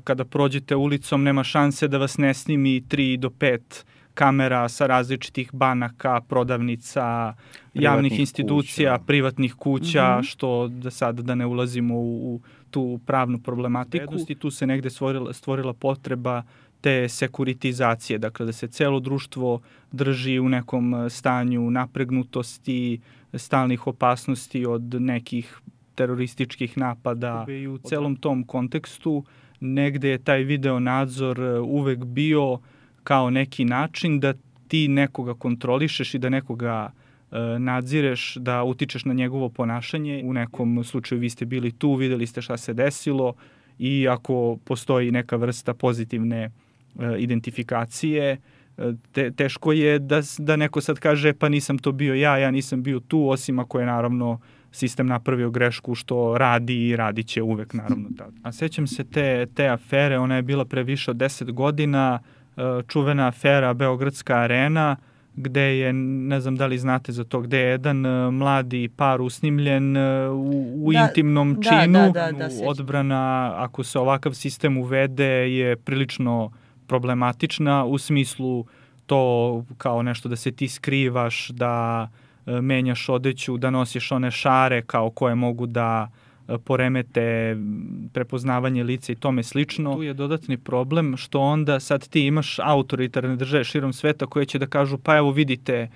kada prođete ulicom nema šanse da vas ne snimi 3 do 5 kamera sa različitih banaka, prodavnica, javnih institucija, privatnih kuća, što da ne ulazimo u tu pravnu problematiku. I tu se negde stvorila potreba te sekuritizacije, dakle da se celo društvo drži u nekom stanju napregnutosti, stalnih opasnosti od nekih terorističkih napada. I u celom tom kontekstu negde je taj video nadzor uvek bio kao neki način da ti nekoga kontrolišeš i da nekoga nadzireš, da utičeš na njegovo ponašanje. U nekom slučaju vi ste bili tu, videli ste šta se desilo i ako postoji neka vrsta pozitivne identifikacije, teško je da neko sad kaže pa nisam to bio ja nisam bio tu, osim ako je naravno sistem napravio grešku što radi i radit će uvek naravno tada. A sećam se te afere, ona je bila pre više od 10 godina, čuvena afera Beogradska arena, gde je, ne znam da li znate za to, gde je jedan mladi par usnimljen u intimnom činu. Odbrana, ako se ovakav sistem uvede, je prilično problematična u smislu to kao nešto da se ti skrivaš, da menjaš odeću, da nosiš one šare kao koje mogu da poremete prepoznavanje lica i tome slično. Tu je dodatni problem što onda sad ti imaš autoritarne države širom sveta koje će da kažu pa evo vidite,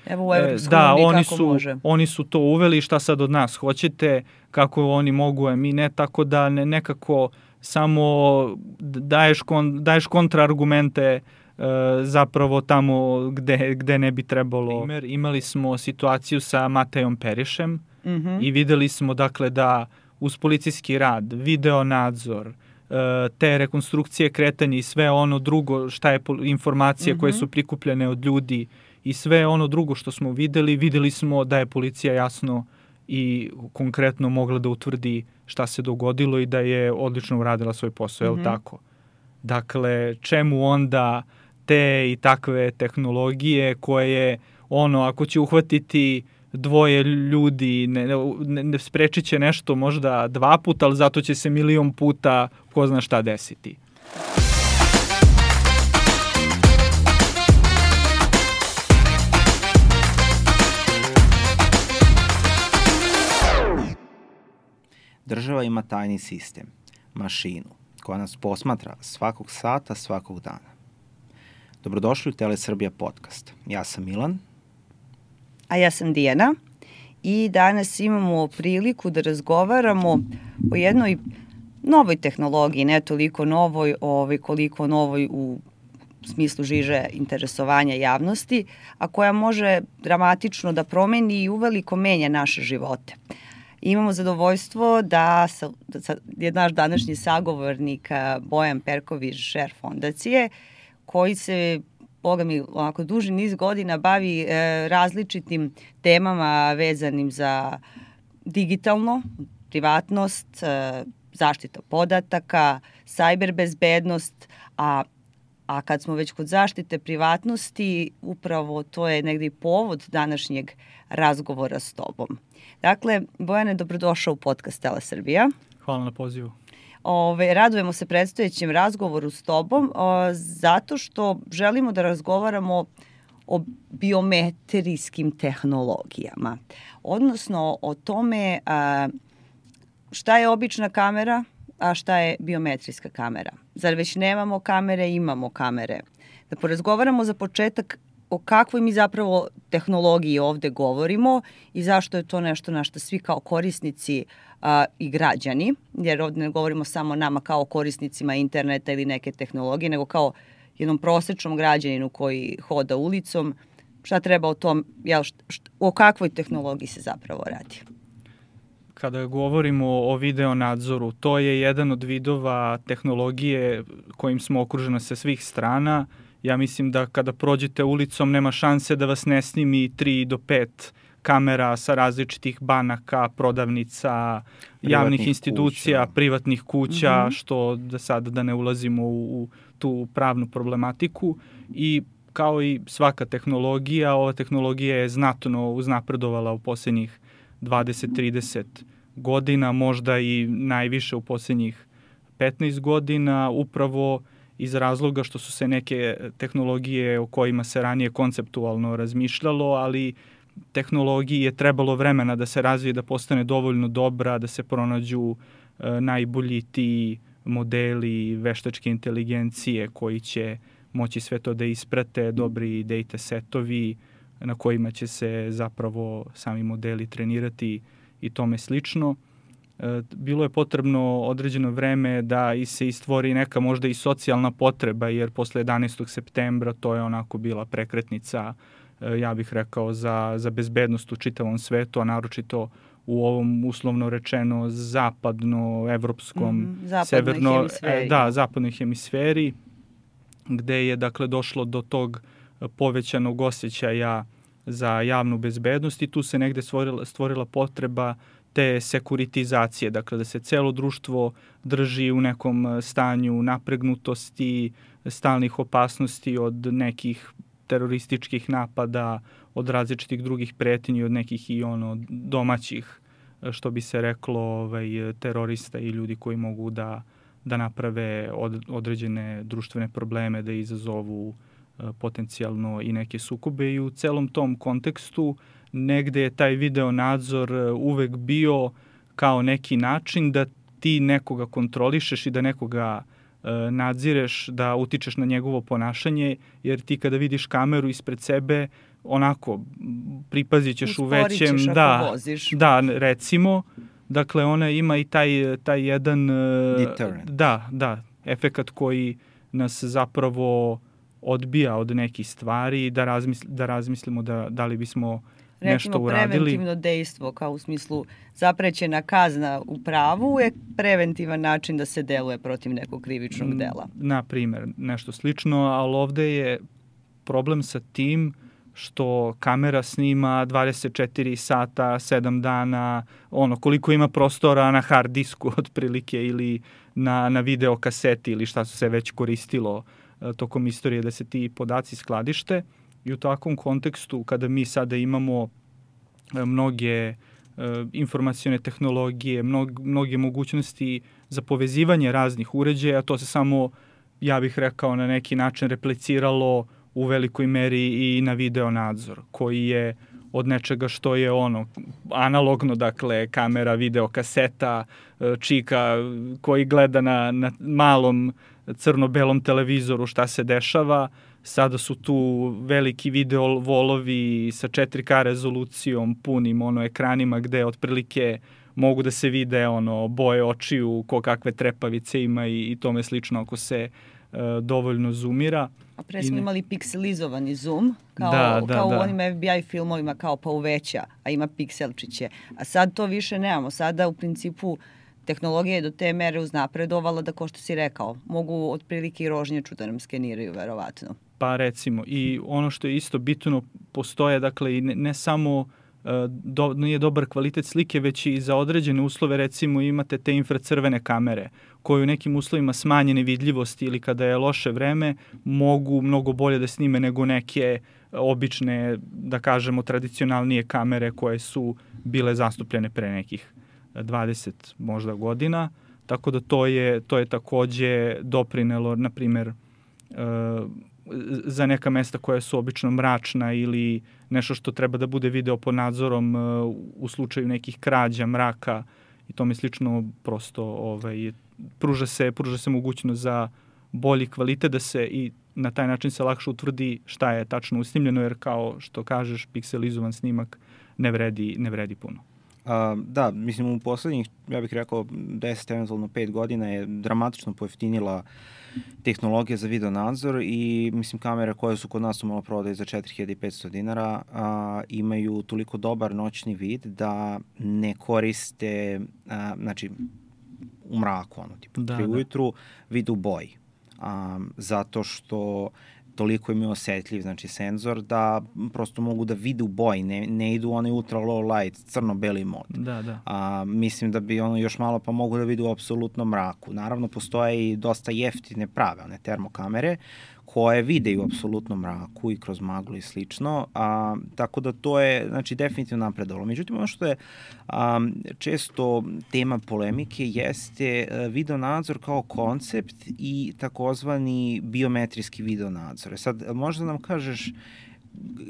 oni su to uveli, šta sad od nas hoćete, kako oni mogu, a mi ne, tako da nekako samo daješ kontraargumente zapravo tamo gde ne bi trebalo. Imali smo situaciju sa Matejom Perišem i videli smo dakle da uz policijski rad, video nadzor, te rekonstrukcije kretanja i sve ono drugo šta je informacije koje su prikupljene od ljudi i sve ono drugo što smo videli smo da je policija jasno i konkretno mogla da utvrdi šta se dogodilo i da je odlično uradila svoj posao, je li tako? Dakle, čemu onda te i takve tehnologije koje, ako će uhvatiti dvoje ljudi, ne sprečit će nešto možda 2 puta, ali zato će se 1.000.000 puta ko zna šta desiti. Država ima tajni sistem, mašinu, koja nas posmatra svakog sata, svakog dana. Dobrodošli u Telesrbija podcast. Ja sam Milan. A ja sam Dijana i danas imamo priliku da razgovaramo o jednoj novoj tehnologiji, ne toliko novoj, koliko novoj u smislu žiže interesovanja javnosti, a koja može dramatično da promeni i uveliko menja naše živote. Imamo zadovoljstvo da je naš današnji sagovornik Bojan Perković, šef fondacije, koji se onako duži niz godina bavi različitim temama vezanim za digitalno, privatnost, zaštita podataka, sajber bezbednost, a kad smo već kod zaštite privatnosti, upravo to je negdje i povod današnjeg razgovora s tobom. Dakle, Bojane, dobrodošao u podcast Telesrbija. Hvala na pozivu. Radujemo se predstojećem razgovoru s tobom zato što želimo da razgovaramo o biometrijskim tehnologijama, odnosno o tome šta je obična kamera, a šta je biometrijska kamera. Zar već nemamo kamere, imamo kamere? Da porazgovaramo za početak o kakvoj mi zapravo tehnologiji ovde govorimo i zašto je to nešto na što svi kao korisnici i građani, jer ovde ne govorimo samo nama kao korisnicima interneta ili neke tehnologije, nego kao jednom prosečnom građaninu koji hoda ulicom, šta treba o tom, o kakvoj tehnologiji se zapravo radi? Kada govorimo o video nadzoru, to je jedan od vidova tehnologije kojim smo okruženi sa svih strana. Ja mislim da kada prođete ulicom nema šanse da vas ne snimi 3 do 5 kamera sa različitih banaka, prodavnica, javnih institucija, privatnih kuća, što da ne ulazimo u tu pravnu problematiku. I kao i svaka tehnologija, ova tehnologija je znatno uznapredovala u posljednjih 20-30 godina, možda i najviše u posljednjih 15 godina, upravo iz razloga što su se neke tehnologije o kojima se ranije konceptualno razmišljalo, ali tehnologiji je trebalo vremena da se razvije, da postane dovoljno dobra, da se pronađu najbolji ti modeli veštačke inteligencije koji će moći sve to da isprate, dobri data setovi na kojima će se zapravo sami modeli trenirati i tome slično. Bilo je potrebno određeno vreme da se istvori neka možda i socijalna potreba, jer posle 11. septembra to je onako bila prekretnica, ja bih rekao, za bezbednost u čitavom svetu, a naročito u ovom uslovno rečeno zapadnoevropskom, zapadnoj hemisferi, gde je dakle došlo do tog povećanog osjećaja za javnu bezbednost i tu se negde stvorila potreba te sekuritizacije, dakle da se celo društvo drži u nekom stanju napregnutosti, stalnih opasnosti od nekih terorističkih napada, od različitih drugih pretnji, od nekih i domaćih, što bi se reklo, terorista i ljudi koji mogu da naprave određene društvene probleme, da izazovu potencijalno i neke sukobe. I u celom tom kontekstu negde je taj video nadzor uvek bio kao neki način da ti nekoga kontrolišeš i da nekoga nadzireš, da utičeš na njegovo ponašanje, jer ti kada vidiš kameru ispred sebe, onako pripazit ćeš u većem... Da, recimo, dakle ona ima i taj jedan... Deterrent. Da, efekat koji nas zapravo odbija od nekih stvari, da razmislimo da li bismo nešto uradili. Recimo, preventivno dejstvo, kao u smislu zaprećena kazna u pravu je preventivan način da se deluje protiv nekog krivičnog dela. Na primer, nešto slično, ali ovde je problem sa tim što kamera snima 24 sata, 7 dana, koliko ima prostora na hard disku otprilike ili na video kaseti ili šta su se već koristilo tokom istorije da se ti podaci skladište. I u takvom kontekstu, kada mi sada imamo mnoge informacione tehnologije, mnoge mogućnosti za povezivanje raznih uređaja, to se samo, ja bih rekao, na neki način repliciralo u velikoj meri i na video nadzor, koji je od nečega što je analogno, dakle, kamera, video kaseta, čika koji gleda na malom crno-belom televizoru šta se dešava. Sada su tu veliki video volovi sa 4K rezolucijom, punim ekranima gde otprilike mogu da se vide boje očiju, ko kakve trepavice ima i tome slično ako se dovoljno zoomira. A pre smo imali pikselizovani zoom, kao u onim FBI filmovima, kao pa uveća, a ima pikselčiće. A sad to više nemamo. Sada u principu tehnologija je do te mere uznapredovala da, ko što si rekao, mogu otprilike i rožnjaču da nam skeniraju, verovatno. Pa recimo, i ono što je isto bitno, postoje, dakle, i ne samo nije dobar kvalitet slike, već i za određene uslove, recimo imate te infracrvene kamere, koje u nekim uslovima smanjene vidljivosti ili kada je loše vreme, mogu mnogo bolje da snime nego neke obične, da kažemo, tradicionalnije kamere koje su bile zastupljene pre nekih 20 možda godina, tako da to je takođe doprinelo, na primer, za neka mesta koja su obično mračna ili nešto što treba da bude video pod nadzorom u slučaju nekih krađa, mraka i tome slično, prosto pruža se mogućnost za bolji kvalitet, da se i na taj način se lakše utvrdi šta je tačno usnimljeno, jer kao što kažeš, pikselizovan snimak ne vredi puno. Da, mislim, u poslednjih, ja bih rekao, 10, eventualno 5 godina je dramatično pojeftinila tehnologija za video nadzor i, mislim, kamere koje su kod nas u maloprodaji za 4500 dinara imaju toliko dobar noćni vid da ne koriste, znači, u mraku, ujutru, vid u boji. Zato što toliko im je osetljiv, znači, senzor, da prosto mogu da vide u boji, ne idu onaj ultra low light, crno-beli mod. Mislim da bi još malo pa mogu da vide u apsolutnom mraku. Naravno, postoje i dosta jeftine prave, one termokamere, koje vide u apsolutnom mraku i kroz maglu i slično, tako da to je, znači, definitivno napredovalo. Međutim, ono što je često tema polemike jeste video nadzor kao koncept i takozvani biometrijski video nadzor. Sad, možda nam kažeš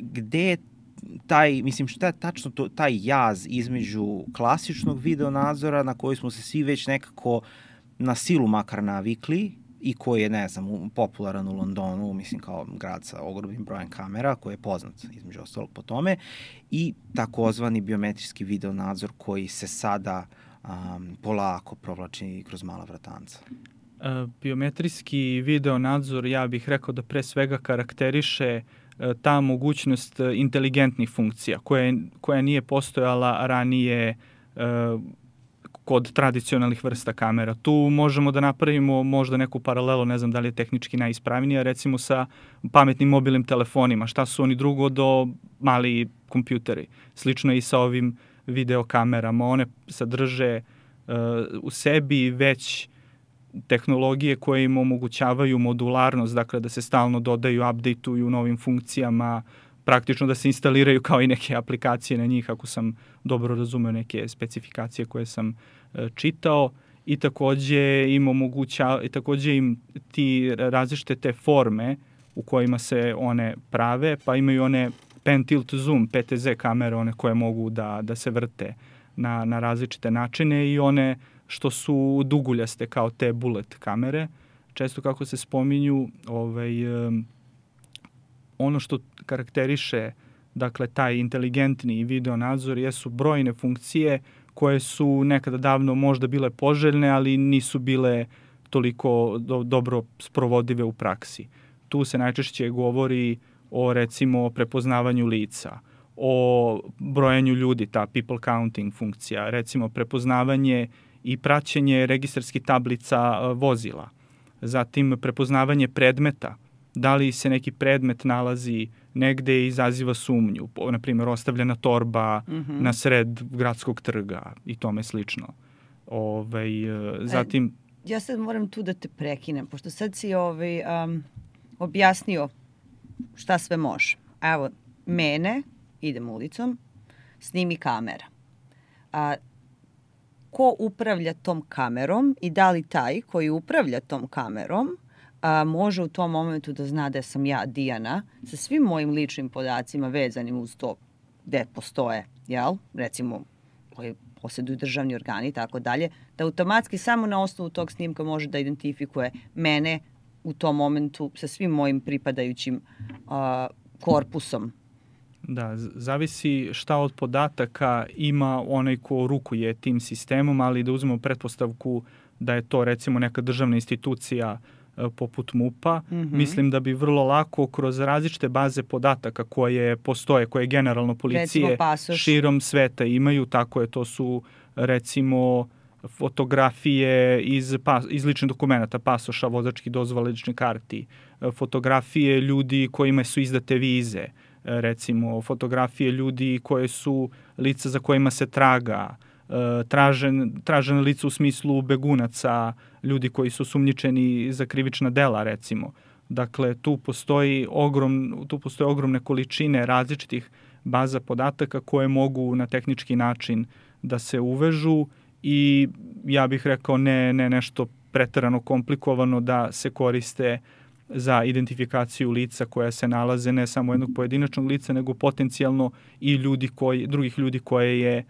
gde je taj, mislim, šta je tačno taj jaz između klasičnog video nadzora na koji smo se svi već nekako na silu makar navikli i koji je, ne znam, popularan u Londonu, mislim, kao grad sa ogromnim brojem kamera, koji je poznat, između ostalog, po tome, i takozvani biometrijski video nadzor koji se sada polako provlači kroz mala vratanca. Biometrijski video nadzor, ja bih rekao da pre svega karakteriše ta mogućnost inteligentnih funkcija koja nije postojala ranije kod tradicionalnih vrsta kamera. Tu možemo da napravimo možda neku paralelu, ne znam da li je tehnički najispravnija, recimo sa pametnim mobilnim telefonima. Šta su oni drugo do mali kompjuteri? Slično je i sa ovim videokamerama. One sadrže u sebi već tehnologije koje im omogućavaju modularnost, dakle da se stalno dodaju, updateuju novim funkcijama, praktično da se instaliraju kao i neke aplikacije na njih, ako sam dobro razumeo neke specifikacije koje sam čitao, i takođe im ti različite te forme u kojima se one prave, pa imaju one pan tilt zoom, PTZ kamere, one koje mogu da se vrte na različite načine, i one što su duguljaste kao te bullet kamere. Često kako se spominju, ono što karakteriše, dakle, taj inteligentni video nadzor jesu brojne funkcije koje su nekada davno možda bile poželjne, ali nisu bile toliko dobro sprovodive u praksi. Tu se najčešće govori o, recimo, prepoznavanju lica, o brojanju ljudi, ta people counting funkcija, recimo prepoznavanje i praćenje registarskih tablica vozila, zatim prepoznavanje predmeta, da li se neki predmet nalazi negde i izaziva sumnju, na primjer ostavljena torba na sred gradskog trga i tome slično. Zatim... Ja sad moram tu da te prekinem, pošto sad si objasnio šta sve može. Evo, mene, idem ulicom, snimi kamera. Ko upravlja tom kamerom i da li taj koji upravlja tom kamerom može u tom momentu da zna da sam ja Dijana sa svim mojim ličnim podacima vezanim uz to gde postoje, recimo koji posjeduju državni organi i tako dalje, da automatski samo na osnovu tog snimka može da identifikuje mene u tom momentu sa svim mojim pripadajućim korpusom. Da, zavisi šta od podataka ima onaj ko rukuje tim sistemom, ali da uzmemo pretpostavku da je to, recimo, neka državna institucija poput MUP-a, mislim da bi vrlo lako kroz različite baze podataka koje postoje, koje generalno policije širom sveta imaju, tako je, to su, recimo, fotografije iz ličnih dokumenta, pasoša, vozačkih dozvola, ličnih karti, fotografije ljudi kojima su izdate vize, recimo fotografije ljudi koje su lica za kojima se traga, tražene lica u smislu begunaca, ljudi koji su sumnjičeni za krivična dela, recimo. Dakle, tu postoje ogromne količine različitih baza podataka koje mogu na tehnički način da se uvežu i ja bih rekao ne nešto preterano komplikovano da se koriste za identifikaciju lica koja se nalaze ne samo jednog pojedinačnog lica, nego potencijalno i drugih ljudi koje je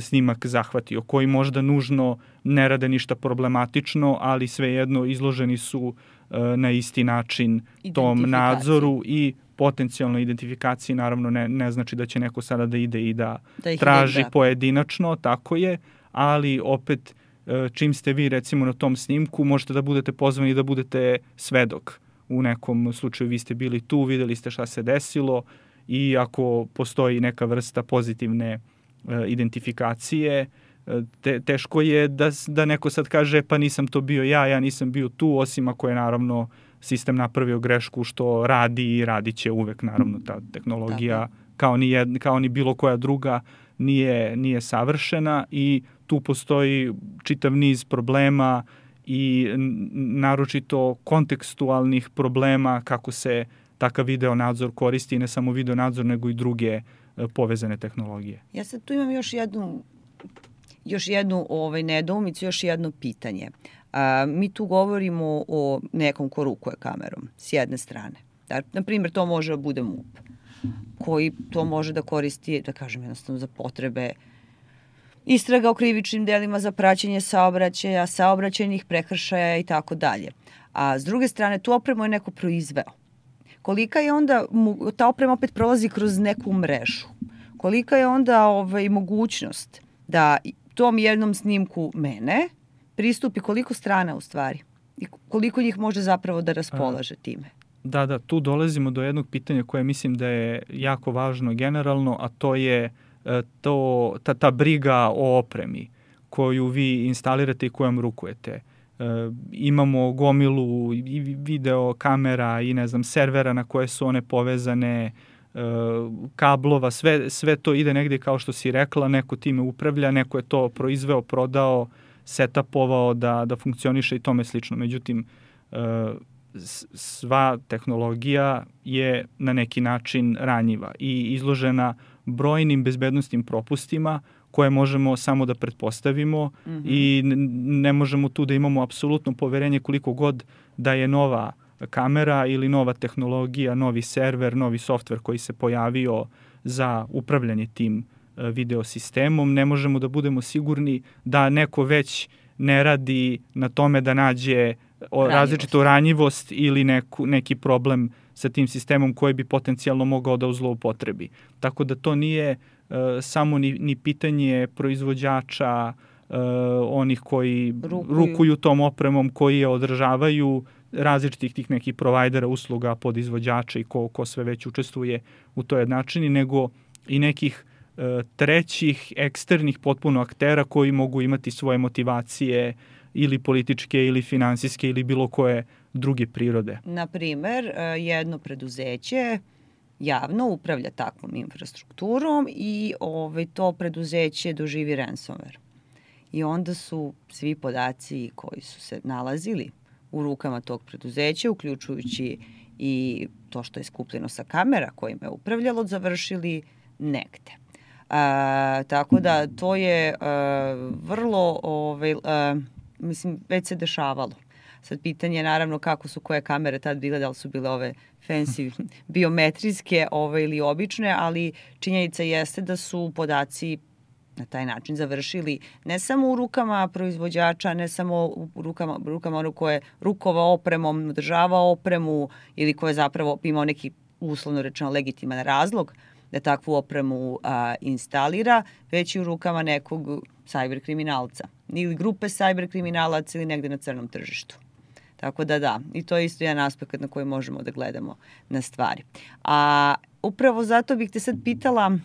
snimak zahvatio, koji možda nužno ne rade ništa problematično, ali svejedno izloženi su na isti način tom nadzoru i potencijalnoj identifikaciji. Naravno, ne znači da će neko sada da ide i da traži pojedinačno, tako je, ali opet čim ste vi, recimo, na tom snimku, možete da budete pozvani da budete svedok. U nekom slučaju vi ste bili tu, videli ste šta se desilo i ako postoji neka vrsta pozitivne identifikacije, teško je da neko sad kaže pa nisam to bio ja nisam bio tu, osim ako je naravno sistem napravio grešku, što radi i radit će uvek, naravno ta tehnologija kao ni bilo koja druga nije savršena i tu postoji čitav niz problema i naročito kontekstualnih problema kako se takav video nadzor koristi, i ne samo video nadzor, nego i druge povezane tehnologije. Ja sad tu imam još jednu nedoumicu, još jedno pitanje. Mi tu govorimo o nekom ko rukuje kamerom, s jedne strane. Na primjer, to može da bude MUP, koji to može da koristi, da kažem jednostavno, za potrebe istraga o krivičnim delima, za praćenje saobraćaja, saobraćajnih prekršaja i tako dalje. A s druge strane, tu opremu je neko proizveo. Kolika je onda, ta oprema opet prolazi kroz neku mrežu. Kolika je onda mogućnost da tom jednom snimku mene pristupi koliko strana u stvari i koliko njih može zapravo da raspolaže time? Da, tu dolazimo do jednog pitanja koje mislim da je jako važno generalno, a to je ta briga o opremi koju vi instalirate i kojom rukujete. Imamo gomilu i video kamera i servera na koje su one povezane, kablova, sve to ide negdje, kao što si rekla, neko time upravlja, neko je to proizveo, prodao, setapovao da funkcioniše i tome slično. Međutim, sva tehnologija je na neki način ranjiva i izložena brojnim bezbednostnim propustima koje možemo samo da pretpostavimo i ne možemo tu da imamo apsolutno poverenje koliko god da je nova kamera ili nova tehnologija, novi server, novi softver koji se pojavio za upravljanje tim video sistemom. Ne možemo da budemo sigurni da neko već ne radi na tome da nađe različitu ranjivost ili neki problem sa tim sistemom koji bi potencijalno mogao da zloupotrebi. Tako da to nije samo ni pitanje proizvođača, onih koji rukuju tom opremom, koji je održavaju, različitih tih nekih provajdera usluga, podizvođača i ko sve već učestvuje u toj jednačini, nego i nekih trećih, eksternih potpuno aktera koji mogu imati svoje motivacije ili političke ili finansijske ili bilo koje druge prirode. Naprimer, jedno preduzeće javno upravlja takvom infrastrukturom i to preduzeće doživi ransomware. I onda su svi podaci koji su se nalazili u rukama tog preduzeća, uključujući i to što je skupljeno sa kamera kojima je upravljalo, završili negde. Tako da to je vrlo, već se dešavalo. Sad pitanje je naravno kako su koje kamere tad bile, da li su bile ove fancy biometrijske ili obične, ali činjenica jeste da su podaci na taj način završili ne samo u rukama proizvođača, ne samo u rukama onog koje rukovao opremom, održavao opremu ili koje zapravo imao neki uslovno rečeno legitiman razlog da takvu opremu instalira, već i u rukama nekog cyber kriminalca ili grupe cyber kriminalaca ili negde na crnom tržištu. Tako da, i to je isto jedan aspekt na koji možemo da gledamo na stvari. A upravo zato bih te sad pitala,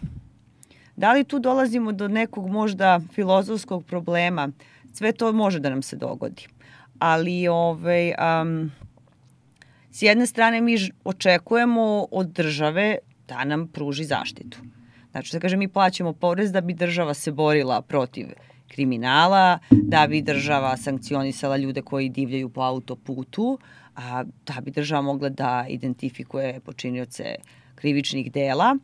da li tu dolazimo do nekog možda filozofskog problema? Sve to može da nam se dogodi. Ali s jedne strane mi očekujemo od države da nam pruži zaštitu. Znači, da kažem, mi plaćamo porez da bi država se borila protiv kriminala, da bi država sankcionisala ljude koji divljaju po autoputu, a da bi država mogla da identifikuje počinioce krivičnih dela.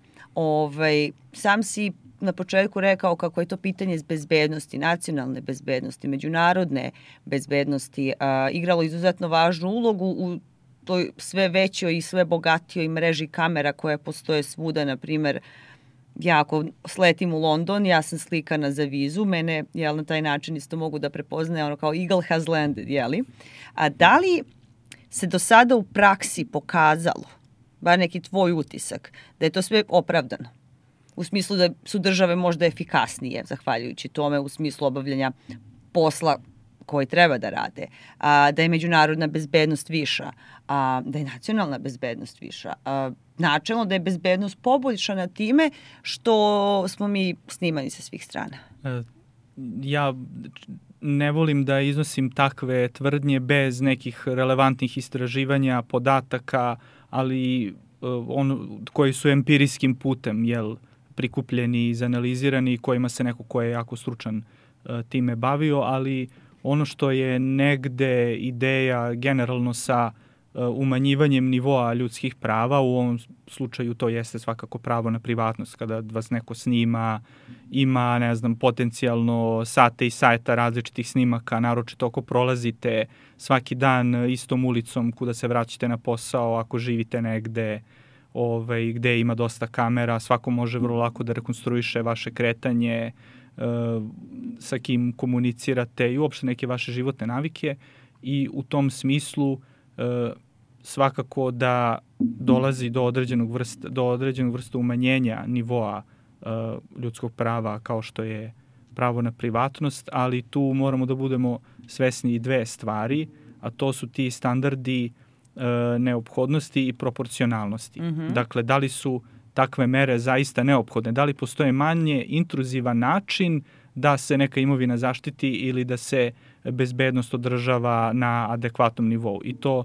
Sam si na početku rekao kako je to pitanje bezbednosti, nacionalne bezbednosti, međunarodne bezbednosti, igralo izuzetno važnu ulogu u toj sve većoj i sve bogatijoj mreži kamera koje postoje svuda. Na primer, ja ako sletim u London, ja sam slikana za vizu, mene na taj način isto mogu da prepoznaje kao Eagle has landed, jeli? A da li se do sada u praksi pokazalo, bar neki tvoj utisak, da je to sve opravdano? U smislu da su države možda efikasnije, zahvaljujući tome, u smislu obavljanja posla koji treba da rade, da je međunarodna bezbednost viša, da je nacionalna bezbednost viša, načelno da je bezbednost poboljšana time što smo mi snimani sa svih strana. Ja ne volim da iznosim takve tvrdnje bez nekih relevantnih istraživanja, podataka, ali koji su empirijskim putem prikupljeni i izanalizirani i kojima se neko ko je jako stručan time bavio, ali ono što je negde ideja generalno sa umanjivanjem nivoa ljudskih prava, u ovom slučaju to jeste svakako pravo na privatnost, kada vas neko snima, ima, ne znam, potencijalno sate i sajta različitih snimaka, naročito ako prolazite svaki dan istom ulicom kuda se vraćate na posao, ako živite negde gde ima dosta kamera, svako može vrlo lako da rekonstruiše vaše kretanje, sa kim komunicirate i uopšte neke vaše životne navike, i u tom smislu svakako da dolazi do određenog vrsta umanjenja nivoa ljudskog prava kao što je pravo na privatnost, ali tu moramo da budemo svesni i dve stvari, a to su ti standardi neophodnosti i proporcionalnosti. Dakle, da li su takve mere zaista neophodne, da li postoje manje intruzivan način da se neka imovina zaštiti ili da se bezbednost održava na adekvatnom nivou. I to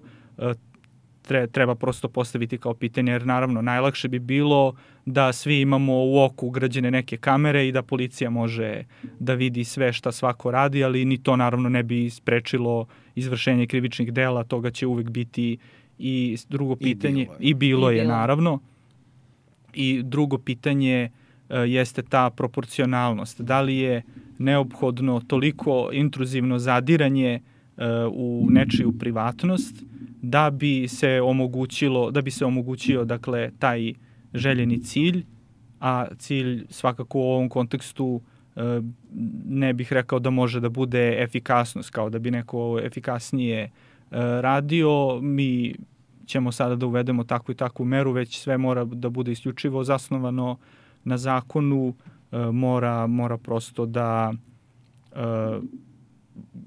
treba prosto postaviti kao pitanje, jer naravno najlakše bi bilo da svi imamo u oku ugrađene neke kamere i da policija može da vidi sve šta svako radi, ali ni to naravno ne bi sprečilo izvršenje krivičnih dela, toga će uvek biti. I drugo pitanje, i bilo je naravno, i drugo pitanje jeste ta proporcionalnost. Da li je neophodno toliko intruzivno zadiranje u nečiju privatnost da bi se omogućio dakle taj željeni cilj, a cilj svakako u ovom kontekstu ne bih rekao da može da bude efikasnost, kao da bi neko efikasnije radio, mi ćemo sada da uvedemo takvu i takvu meru, već sve mora da bude isključivo zasnovano na zakonu, mora prosto da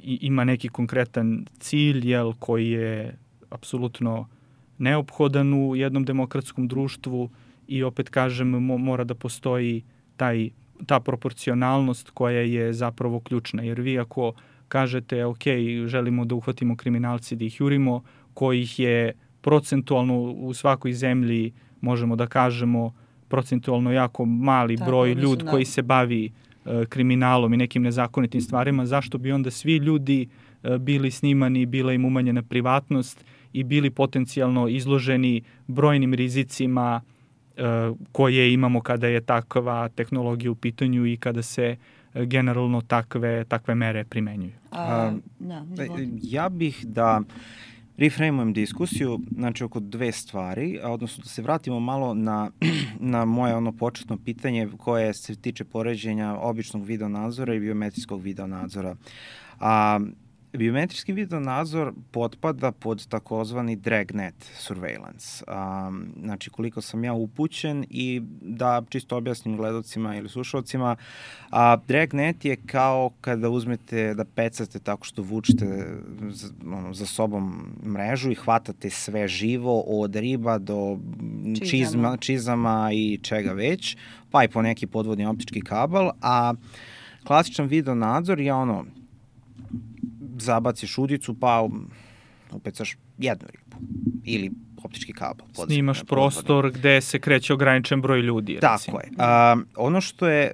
ima neki konkretan cilj, koji je apsolutno neophodan u jednom demokratskom društvu, i opet kažem, mora da postoji ta proporcionalnost koja je zapravo ključna, jer vi ako kažete, ok, želimo da uhvatimo kriminalci, da ih jurimo, kojih je procentualno u svakoj zemlji, možemo da kažemo, procentualno jako mali broj ljudi koji se bavi kriminalom i nekim nezakonitim stvarima, zašto bi onda svi ljudi bili snimani, bila im umanjena privatnost i bili potencijalno izloženi brojnim rizicima koje imamo kada je takva tehnologija u pitanju i kada se generalno takve mere primenjuju. Ja bih da reframeujem diskusiju, znači oko dve stvari, odnosno da se vratimo malo na moje početno pitanje koje se tiče poređenja običnog video nadzora i biometrijskog video nadzora. Biometrijski video nadzor potpada pod takozvani dragnet surveillance. Znači, koliko sam ja upućen, i da čisto objasnim gledalcima ili slušalcima, dragnet je kao kada uzmete da pecate tako što vučete za sobom mrežu i hvatate sve živo, od riba do čizama i čega već, pa i po neki podvodni optički kabel, a klasičan video nadzor je zabaciš udicu, pa upecaš jednu ribu ili optički kabel. Snimaš prostor gde se kreće ograničen broj ljudi. Tako je. Ono što je,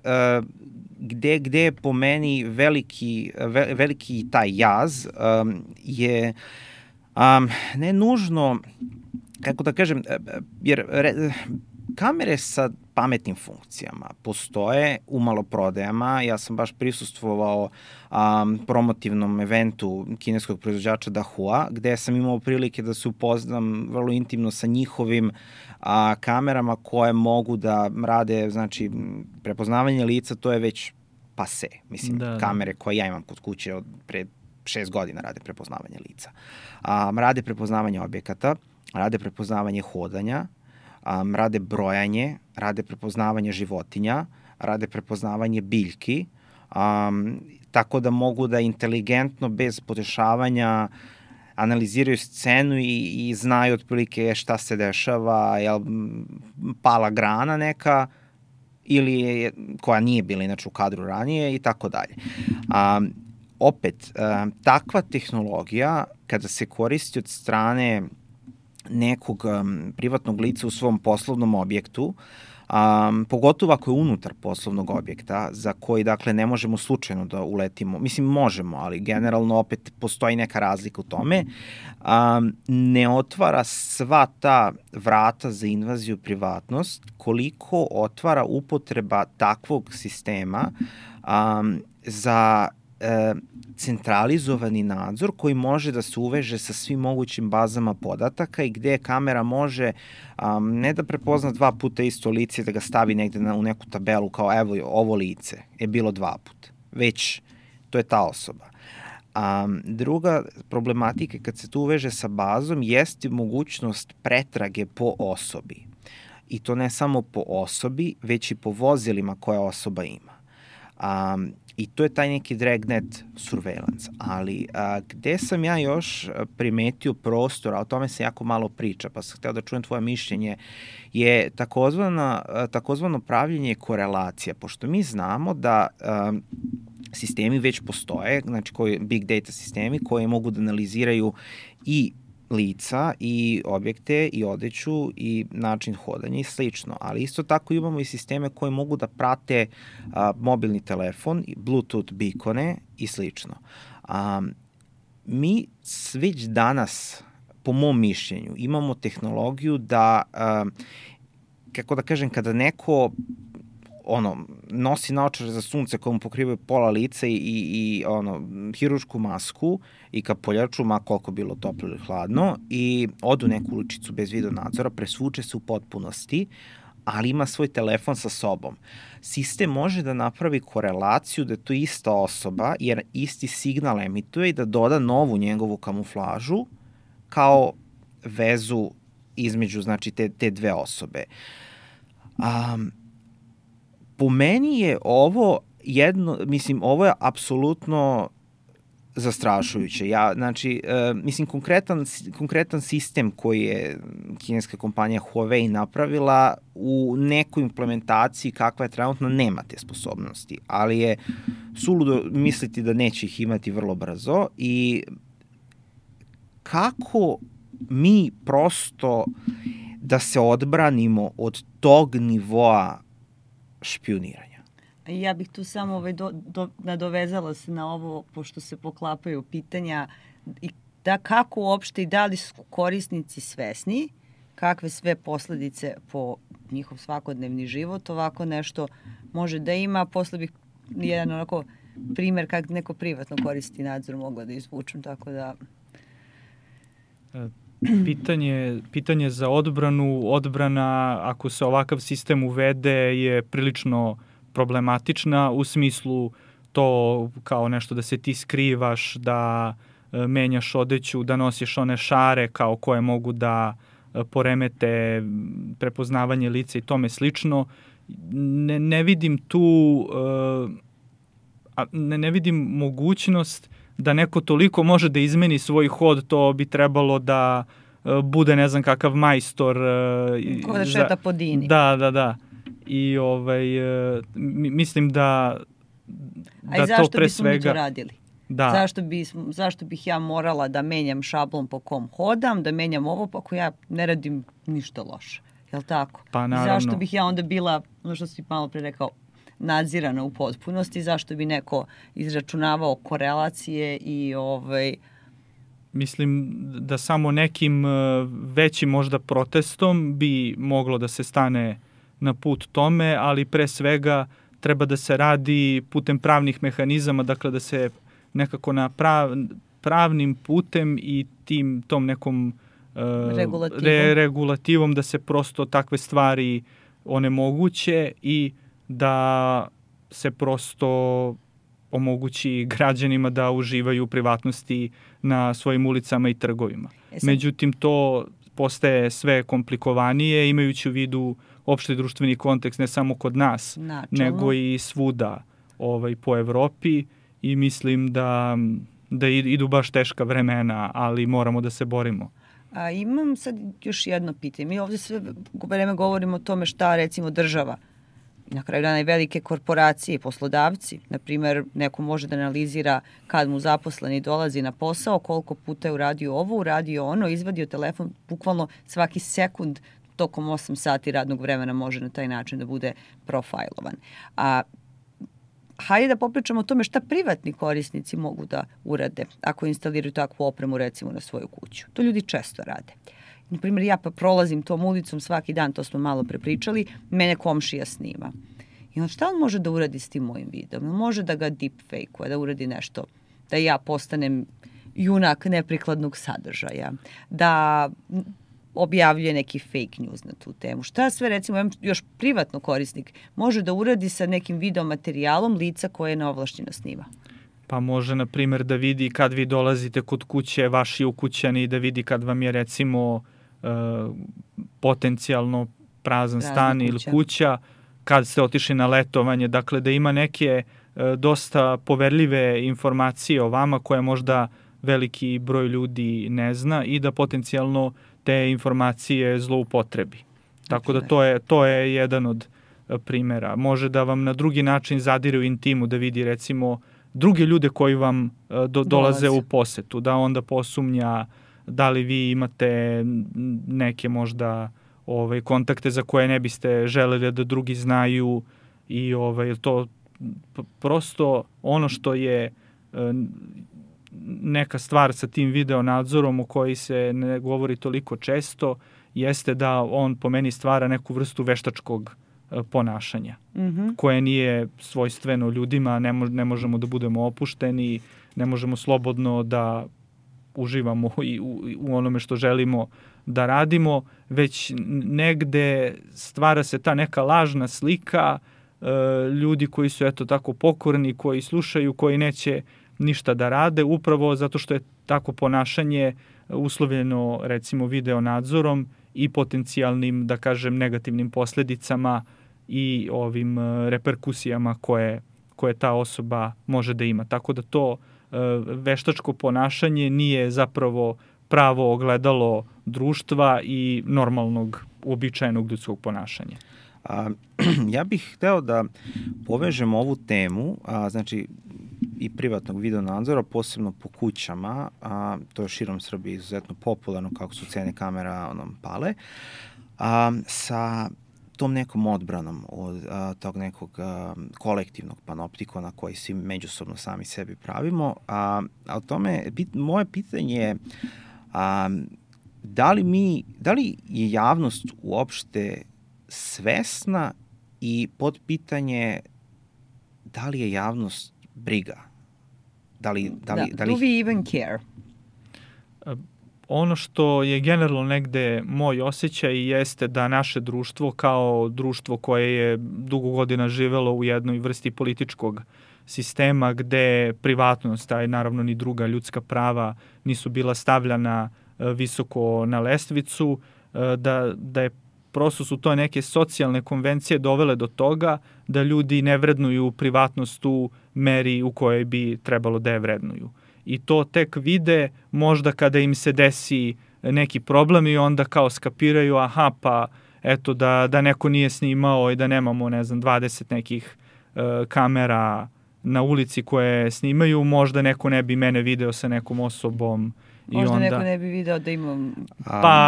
gde je po meni veliki taj jaz je ne nužno, kako da kažem, jer kamere sa pametnim funkcijama postoje u maloprodajama. Ja sam baš prisustvovao promotivnom eventu kineskog proizvođača Dahua, gde sam imao prilike da se upoznam vrlo intimno sa njihovim kamerama koje mogu da rade, znači, prepoznavanje lica, to je već pase. Mislim, kamere koje ja imam kod kuće od pre 6 godina rade prepoznavanje lica. Rade prepoznavanje objekata, rade prepoznavanje hodanja, rade brojanje, rade prepoznavanje životinja, rade prepoznavanje biljki, tako da mogu da inteligentno, bez podešavanja, analiziraju scenu i znaju otprilike šta se dešava, je li pala grana neka ili koja nije bila inače u kadru ranije i tako dalje. Opet, takva tehnologija kada se koristi od strane nekog privatnog lica u svom poslovnom objektu, Pogotovo ako je unutar poslovnog objekta, za koji, dakle, ne možemo slučajno da uletimo. Mislim, možemo, ali generalno opet postoji neka razlika u tome. Ne otvara sva ta vrata za invaziju privatnost, koliko otvara upotreba takvog sistema za centralizovani nadzor koji može da se uveže sa svim mogućim bazama podataka i gde kamera može ne da prepozna 2 puta isto lice, da ga stavi negde u neku tabelu kao evo ovo lice je bilo 2 puta, već to je ta osoba. Druga problematika kad se to uveže sa bazom jeste mogućnost pretrage po osobi. I to ne samo po osobi, već i po vozilima koje osoba ima. I to je taj neki dragnet surveillance. Ali gde sam ja još primetio prostor, a o tome se jako malo priča, pa sam hteo da čujem tvoje mišljenje, je takozvano pravljenje korelacija. Pošto mi znamo da sistemi već postoje, znači big data sistemi koji mogu da analiziraju i lica i objekte i odeću i način hodanja i slično. Ali isto tako imamo i sisteme koje mogu da prate mobilni telefon, Bluetooth beacone i slično. Mi već danas, po mom mišljenju, imamo tehnologiju da, kako da kažem, kada neko nosi naočare za sunce koje mu pokrivaju pola lica i hirušku masku i kapoljaču, ma koliko bilo toplo ili hladno, i odu neku uličicu bez video nadzora, presvuče se u potpunosti, ali ima svoj telefon sa sobom. Sistem može da napravi korelaciju da je to ista osoba, jer isti signal emituje i da doda novu njegovu kamuflažu kao vezu između, znači, te dve osobe. Po meni je ovo ovo je apsolutno zastrašujuće. Konkretan sistem koji je kineska kompanija Huawei napravila u nekoj implementaciji kakva je trenutno nema te sposobnosti, ali je suludo misliti da neće ih imati vrlo brzo. I kako mi prosto da se odbranimo od tog nivoa špijuniranja? Ja bih tu samo nadovezala se na ovo, pošto se poklapaju pitanja, da kako uopšte i da li su korisnici svesni kakve sve posledice po njihov svakodnevni život ovako nešto može da ima. Posle bih jedan onako primer kako neko privatno koristi nadzor mogla da izvučem, tako da... Pitanje za odbrana, ako se ovakav sistem uvede, je prilično problematična, u smislu to kao nešto da se ti skrivaš, da menjaš odeću, da nosiš one šare kao koje mogu da poremete prepoznavanje lica i tome slično. Ne vidim tu, ne vidim mogućnost da neko toliko može da izmeni svoj hod, to bi trebalo da bude ne znam kakav majstor. Ko da šeta po Dini. Da. I mislim da to pre svega... mi to radili? Da. Zašto bih ja morala da menjam šablon po kom hodam, da menjam ovo, pa ako ja ne radim ništa loše. Je li tako? Pa naravno. Zašto bih ja onda bila, ono što si malo pre rekao, nadzirana u potpunosti, zašto bi neko izračunavao korelacije i Mislim da samo nekim većim možda protestom bi moglo da se stane na put tome, ali pre svega treba da se radi putem pravnih mehanizama, dakle da se nekako na pravnim putem i tom nekom regulativom da se prosto takve stvari onemoguće i da se prosto omogući građanima da uživaju u privatnosti na svojim ulicama i trgovima. Međutim, to postaje sve komplikovanije, imajući u vidu opšti društveni kontekst ne samo kod nas, nego i svuda po Evropi, i mislim da idu baš teška vremena, ali moramo da se borimo. Imam sad još jedno pitanje. Mi ovde sve vreme govorimo o tome šta recimo država, na kraju dana i velike korporacije, poslodavci. Naprimer, neko može da analizira kad mu zaposleni dolazi na posao, koliko puta je uradio ovo, uradio ono, izvadio telefon, bukvalno svaki sekund tokom 8 sati radnog vremena može na taj način da bude profilovan. Hajde da popričamo o tome šta privatni korisnici mogu da urade ako instaliraju takvu opremu recimo na svoju kuću. To ljudi često rade. Naprimjer, ja pa prolazim tom ulicom svaki dan, to smo malo prepričali, mene komšija snima. I onda šta on može da uradi s tim mojim videom? Može da ga deepfake-uje, da uradi nešto, da ja postanem junak neprikladnog sadržaja, da objavljuje neki fake news na tu temu. Šta sve, recimo, još privatno korisnik može da uradi sa nekim video materijalom lica koje je neovlašćeno snima? Pa može, na primjer, da vidi kad vi dolazite kod kuće, vaši ukućani, da vidi kad vam je, recimo, potencijalno prazan stan ili kuća, kad ste otišli na letovanje. Dakle, da ima neke dosta poverljive informacije o vama koje možda veliki broj ljudi ne zna i da potencijalno te informacije zloupotrebi. Tako da to je jedan od primjera. Može da vam na drugi način zadire u intimu, da vidi recimo druge ljude koji vam dolaze u posetu, da onda posumnja da li vi imate neke možda kontakte za koje ne biste želeli da drugi znaju i to prosto ono što je neka stvar sa tim video nadzorom o kojoj se ne govori toliko često jeste da on po meni stvara neku vrstu veštačkog ponašanja koje nije svojstveno ljudima, ne možemo da budemo opušteni, ne možemo slobodno da uživamo u onome što želimo da radimo, već negde stvara se ta neka lažna slika ljudi koji su eto tako pokorni, koji slušaju, koji neće ništa da rade, upravo zato što je tako ponašanje uslovljeno recimo video nadzorom i potencijalnim, da kažem, negativnim posljedicama i ovim reperkusijama koje ta osoba može da ima. Tako da to veštačko ponašanje nije zapravo pravo ogledalo društva i normalnog, uobičajenog ljudskog ponašanja. Ja bih hteo da povežem ovu temu, znači i privatnog video nadzora, posebno po kućama, to je širom Srbije izuzetno popularno kako su cene kamera pale, sa tom nekom odbranom od tog nekog kolektivnog panoptikona koji svi međusobno sami sebi pravimo. A o tome, moje pitanje je da li je javnost uopšte svesna i podpitanje da li je javnost briga? Do we even care? Ono što je generalno negde moj osjećaj jeste da naše društvo kao društvo koje je dugo godina živelo u jednoj vrsti političkog sistema gde privatnost, a naravno ni druga ljudska prava nisu bila stavljana visoko na lestvicu, da je prosto su to neke socijalne konvencije dovele do toga da ljudi ne vrednuju privatnost u meri u kojoj bi trebalo da je vrednuju. I to tek vide možda kada im se desi neki problem i onda kao skapiraju, aha, pa eto da neko nije snimao i da nemamo, 20 nekih kamera na ulici koje snimaju, možda neko ne bi mene video sa nekom osobom. Možda neko ne bi video da imam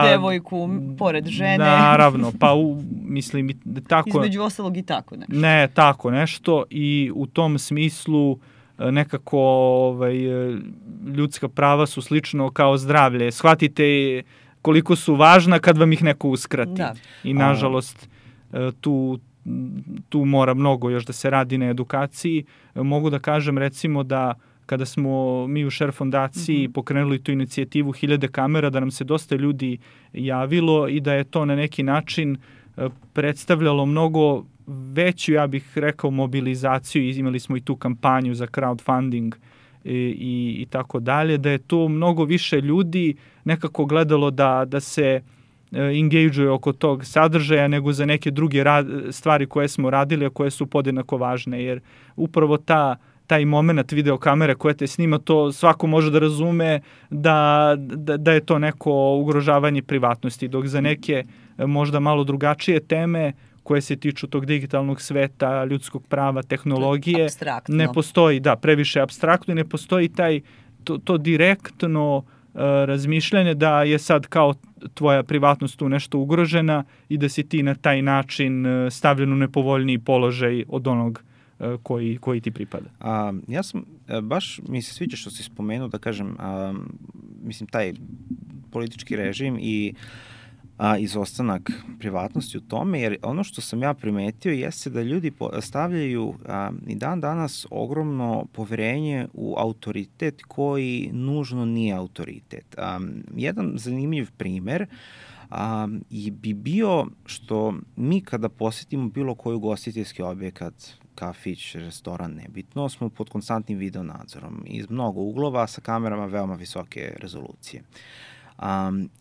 devojku pored žene. Naravno, mislim tako. Između ostalog i tako nešto. Ne, tako nešto i u tom smislu nekako ljudska prava su slično kao zdravlje. Shvatite koliko su važna kad vam ih neko uskrati. Da. I nažalost tu mora mnogo još da se radi na edukaciji. Mogu da kažem recimo da kada smo mi u Share fondaciji pokrenuli tu inicijativu 1000 kamera, da nam se dosta ljudi javilo i da je to na neki način predstavljalo mnogo veću, ja bih rekao, mobilizaciju. Imali smo i tu kampanju za crowdfunding i tako dalje, da je tu mnogo više ljudi nekako gledalo da se engage-uje oko tog sadržaja nego za neke druge stvari koje smo radili, a koje su podjednako važne, jer upravo taj moment videokamere koja te snima, to svako može da razume da je to neko ugrožavanje privatnosti, dok za neke možda malo drugačije teme koje se tiču tog digitalnog sveta, ljudskog prava, tehnologije, ne postoji, previše apstraktno i ne postoji to direktno razmišljanje da je sad kao tvoja privatnost tu nešto ugrožena i da si ti na taj način stavljen u nepovoljniji položaj od onog koji ti pripada. Ja sam, baš mi se sviđa što si spomenuo, da kažem, mislim, taj politički režim i izostanak privatnosti u tome, jer ono što sam ja primetio jeste da ljudi stavljaju i dan danas ogromno poverenje u autoritet koji nužno nije autoritet. Jedan zanimljiv primer bi bio što mi kada posetimo bilo koji ugostiteljski objekat, kafić, restoran, nebitno, smo pod konstantnim video nadzorom iz mnogo uglova sa kamerama veoma visoke rezolucije.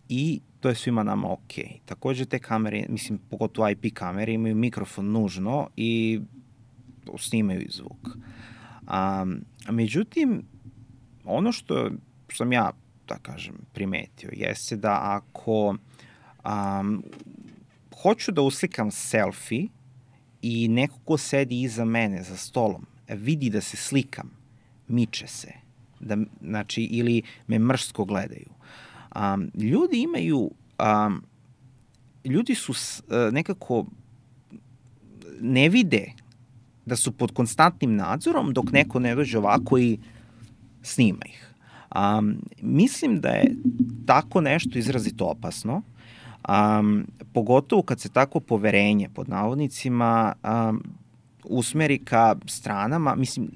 I to je svima nama ok. Takođe te kamere, mislim, pogotovo IP kamere, imaju mikrofon nužno i snimaju i zvuk. Međutim, ono što sam ja, da kažem, primetio, jeste da ako hoću da uslikam selfie i neko ko sedi iza mene za stolom vidi da se slikam, miče se, znači, ili me mrsko gledaju. Ljudi imaju, ljudi su nekako, ne vide da su pod konstantnim nadzorom dok neko ne dođe ovako i snima ih. Mislim da je tako nešto izrazito opasno, pogotovo kad se tako poverenje, pod navodnicima, usmeri ka stranama. Mislim,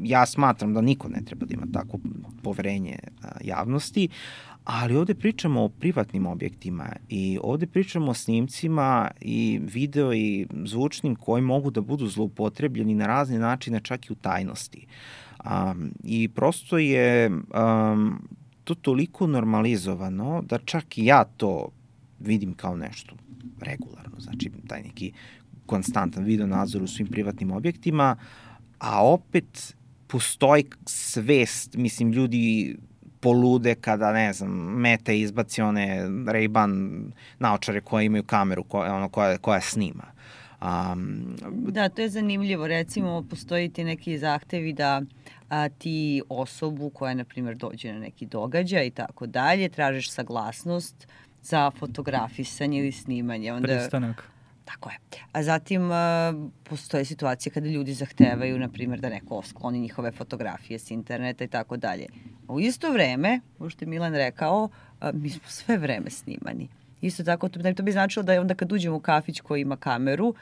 ja smatram da niko ne treba da ima tako poverenje javnosti, ali ovde pričamo o privatnim objektima i ovde pričamo o snimcima i video i zvučnim koji mogu da budu zloupotrebljeni na razne načine, čak i u tajnosti. I prosto je to toliko normalizovano da čak i ja to vidim kao nešto regularno. Znači, taj neki konstantan video nadzor u svim privatnim objektima, a opet postoji svest, mislim, ljudi polude kada, ne znam, Meta izbaci one Ray-Ban naočare koje imaju kameru koja snima. Da, to je zanimljivo. Recimo, postoji ti neki zahtevi da ti osobu koja, na primjer, dođe na neki događaj i tako dalje, tražiš saglasnost za fotografisanje ili snimanje. Pristanak. Tako je. A zatim postoje situacije kada ljudi zahtevaju, na primjer, da neko skloni njihove fotografije s interneta i tako dalje. U isto vreme, ovo što je Milan rekao, mi smo sve vreme snimani. Isto tako, to bi značilo da je onda kad uđemo u kafić koji ima kameru,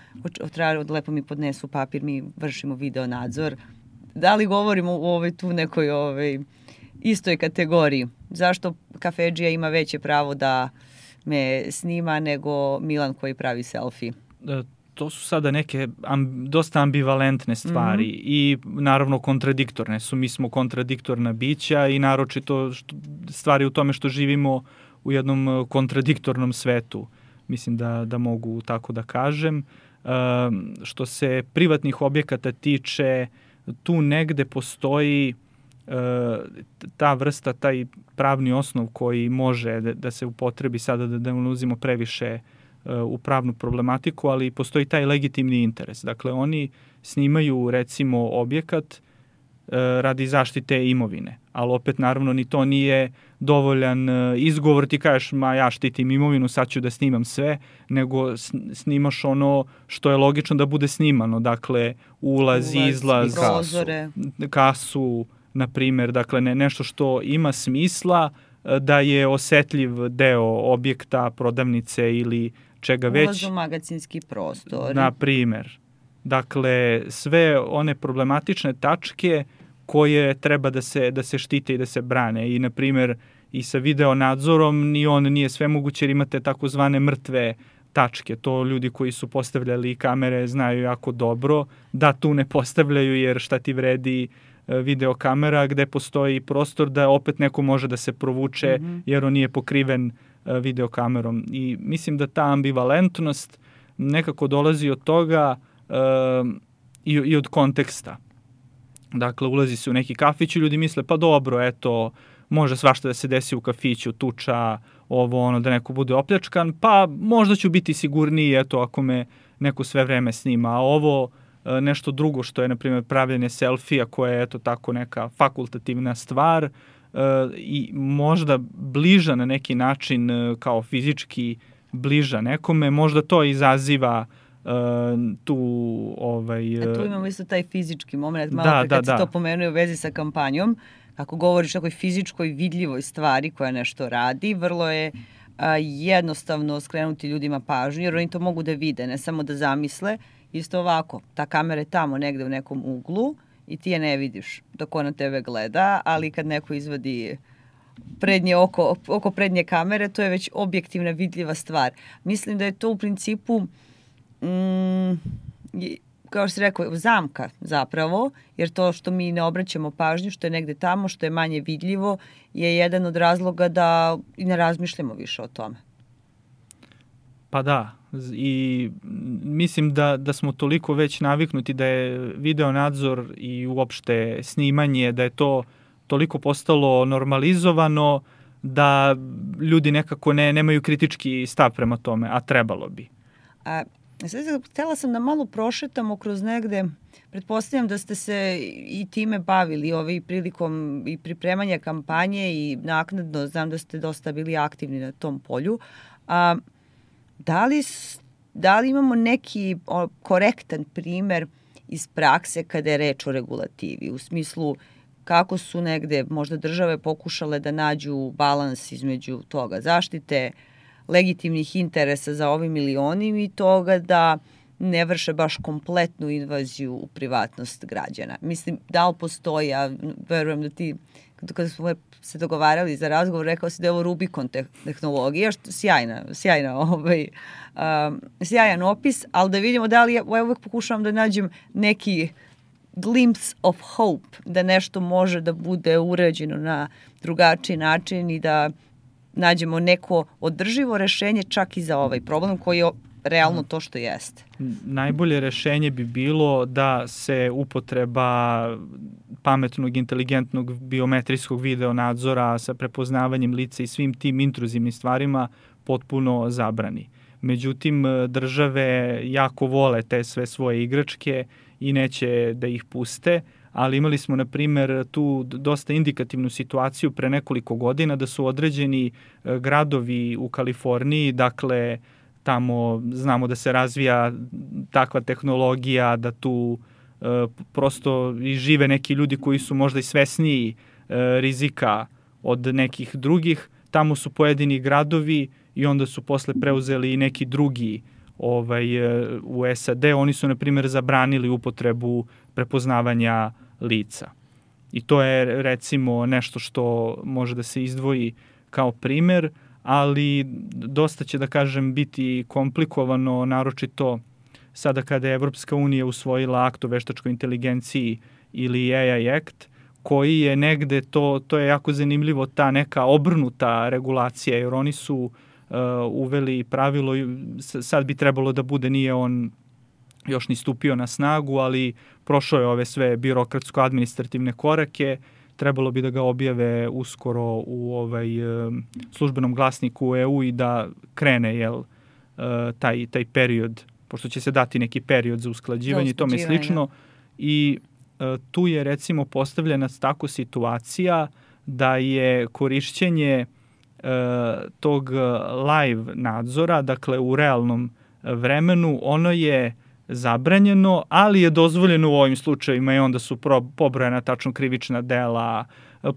lepo mi podnesu papir, mi vršimo video nadzor. Da li govorimo o tu nekoj istoj kategoriji? Zašto kafedžija ima veće pravo da me snima nego Milan koji pravi selfie? To su sada neke dosta ambivalentne stvari i naravno kontradiktorne su. Mi smo kontradiktorna bića i naročito stvari u tome što živimo u jednom kontradiktornom svetu. Mislim da mogu tako da kažem. Što se privatnih objekata tiče, tu negde postoji ta vrsta, taj pravni osnov koji može da se upotrebi sada, da ne ulazimo previše u pravnu problematiku, ali postoji taj legitimni interes. Dakle, oni snimaju, recimo, objekat radi zaštite imovine, ali opet, naravno, ni to nije dovoljan izgovor, ti kažeš, ja štitim imovinu, sad ću da snimam sve, nego snimaš ono što je logično da bude snimano. Dakle, ulaz, izlaz, kasu, na primjer, dakle, nešto što ima smisla da je osetljiv deo objekta, prodavnice ili čega već. Ulaz u magacinski prostor. Na primjer. Dakle, sve one problematične tačke koje treba da se štite i da se brane. I, na primjer, i sa video nadzorom ni on nije svemoguće jer imate takozvane mrtve tačke. To ljudi koji su postavljali kamere znaju jako dobro da tu ne postavljaju jer šta ti vredi videokamera gde postoji prostor da opet neko može da se provuče jer on nije pokriven videokamerom. I mislim da ta ambivalentnost nekako dolazi od toga i od konteksta. Dakle, ulazi se u neki kafić i ljudi misle, pa dobro, eto, može svašta da se desi u kafiću, tuča, da neko bude opljačkan, pa možda ću biti sigurniji, eto, ako me neko sve vreme snima. A ovo nešto drugo što je, na primjer, pravljenje selfija, koje je, eto, tako neka fakultativna stvar, i možda bliža na neki način kao fizički bliža nekome, možda to izaziva tu tu imamo isto taj fizički moment, malo kad se to pomenuje u vezi sa kampanjom, ako govoriš o nekoj fizičkoj vidljivoj stvari koja nešto radi, vrlo je jednostavno skrenuti ljudima pažnju, jer oni to mogu da vide, ne samo da zamisle. Isto ovako, ta kamera je tamo negde u nekom uglu i ti je ne vidiš dok ona tebe gleda, ali kad neko izvadi prednje oko prednje kamere, to je već objektivna vidljiva stvar. Mislim da je to u principu kao što si rekao, zamka zapravo, jer to što mi ne obraćamo pažnju, što je negde tamo, što je manje vidljivo, je jedan od razloga da i ne razmišljamo više o tome. Pa da, i mislim da smo toliko već naviknuti da je video nadzor i uopšte snimanje, da je to toliko postalo normalizovano da ljudi nekako nemaju kritički stav prema tome, a trebalo bi. Htela sam da malo prošetamo kroz negde, pretpostavljam da ste se i time bavili prilikom i pripremanja kampanje i naknadno, znam da ste dosta bili aktivni na tom polju. Da li imamo neki korektan primer iz prakse kada je reč o regulativi, u smislu kako su negde možda države pokušale da nađu balans između toga zaštite legitimnih interesa za ovim ili onim i toga da ne vrše baš kompletnu invaziju u privatnost građana. Mislim, da li postoji, ja verujem da ti, kada smo se dogovarali za razgovor, rekao si da je ovo Rubikon tehnologija, što sjajan opis, ali da vidimo da li, ja uvek pokušavam da nađem neki glimpse of hope, da nešto može da bude urađeno na drugačiji način i da nađemo neko održivo rešenje čak i za ovaj problem koji je realno to što jeste. Najbolje rešenje bi bilo da se upotreba pametnog, inteligentnog biometrijskog video nadzora sa prepoznavanjem lica i svim tim intruzivnim stvarima potpuno zabrani. Međutim, države jako vole te sve svoje igračke i neće da ih puste, ali imali smo, na primer, tu dosta indikativnu situaciju pre nekoliko godina da su određeni gradovi u Kaliforniji, dakle, tamo znamo da se razvija takva tehnologija, da tu prosto i žive neki ljudi koji su možda i svesniji rizika od nekih drugih. Tamo su pojedini gradovi i onda su posle preuzeli i neki drugi u SAD. Oni su, na primjer, zabranili upotrebu prepoznavanja lica. I to je, recimo, nešto što može da se izdvoji kao primer, ali dosta će, da kažem, biti komplikovano, naročito sada kada je Evropska unija usvojila akt o veštačkoj inteligenciji ili AI Act, koji je negde, to je jako zanimljivo, ta neka obrnuta regulacija, jer oni su uveli pravilo, sad bi trebalo da bude, nije on još ni stupio na snagu, ali prošao je ove sve birokratsko-administrativne korake, trebalo bi da ga objave uskoro u službenom glasniku EU i da krene taj period, pošto će se dati neki period za usklađivanje i tome slično. I tu je, recimo, postavljena tako situacija da je korišćenje tog live nadzora, dakle u realnom vremenu, ono je zabranjeno, ali je dozvoljeno u ovim slučajevima i onda su pobrojena tačno krivična dela,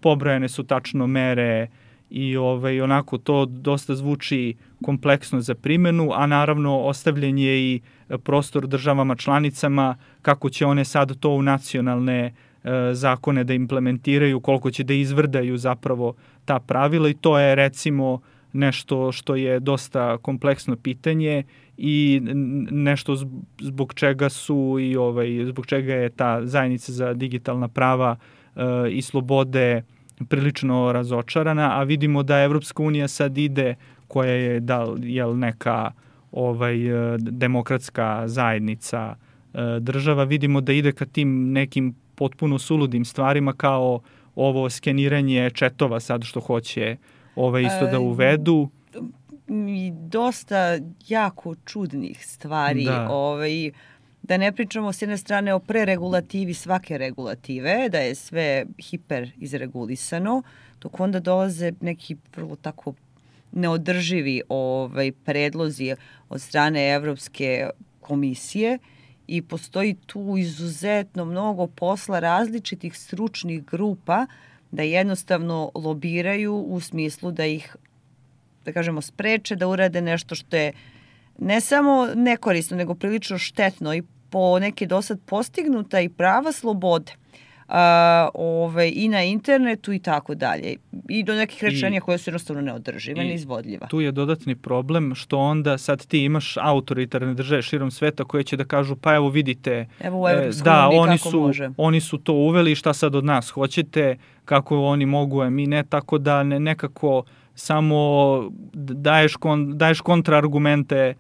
pobrojene su tačno mere i onako to dosta zvuči kompleksno za primenu, a naravno ostavljen je i prostor državama članicama kako će one sad to u nacionalne zakone da implementiraju, koliko će da izvrdaju zapravo ta pravila i to je, recimo, nešto što je dosta kompleksno pitanje i nešto zbog čega su i zbog čega je ta zajednica za digitalna prava i slobode prilično razočarana, a vidimo da Evropska unija sad ide, koja je neka demokratska zajednica država, vidimo da ide ka tim nekim potpuno suludim stvarima kao ovo skeniranje četova sad što hoće isto da uvedu. I dosta jako čudnih stvari. Da ne pričamo s jedne strane o preregulativi svake regulative, da je sve hiper izregulisano, dok onda dolaze neki vrlo tako neodrživi predlozi od strane Evropske komisije i postoji tu izuzetno mnogo posla različitih stručnih grupa da jednostavno lobiraju u smislu da ih, da kažemo, spreče da urade nešto što je ne samo nekorisno, nego prilično štetno i po neke dosad postignuta i prava slobode i na internetu i tako dalje. I do nekih rečenja koje su jednostavno neodržive, neizvodljiva. Tu je dodatni problem što onda sad ti imaš autoritarne države širom sveta koje će da kažu pa evo vidite, evo u Evropskoj uniji kako može. Oni su to uveli, šta sad od nas hoćete, kako oni mogu, a mi ne, tako da nekako samo daješ kontraargumente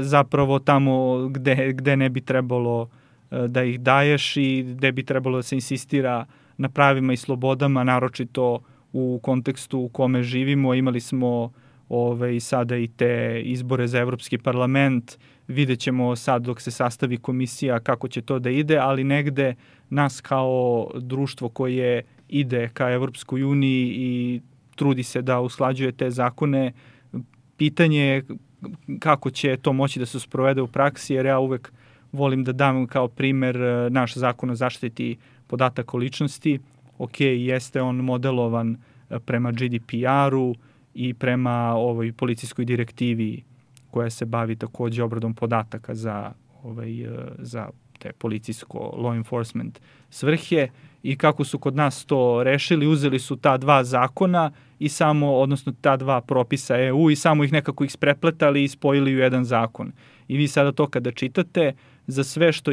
zapravo tamo gde ne bi trebalo da ih daješ i gde bi trebalo da se insistira na pravima i slobodama, naročito u kontekstu u kome živimo. Imali smo sada i te izbore za Evropski parlament, vidjet ćemo sad dok se sastavi komisija kako će to da ide, ali negde nas kao društvo koje ide ka Evropskoj uniji i trudi se da usklađuje te zakone, pitanje je kako će to moći da se sprovede u praksi, jer ja uvek volim da dam kao primer naš zakon o zaštiti podataka o ličnosti. Ok, jeste on modelovan prema GDPR-u i prema ovoj policijskoj direktivi koja se bavi takođe obradom podataka za te policijsko law enforcement svrhe, i kako su kod nas to rešili, uzeli su ta dva zakona i samo, odnosno ta dva propisa EU i samo ih nekako isprepletali i spojili u jedan zakon. I vi sada to kada čitate, za sve što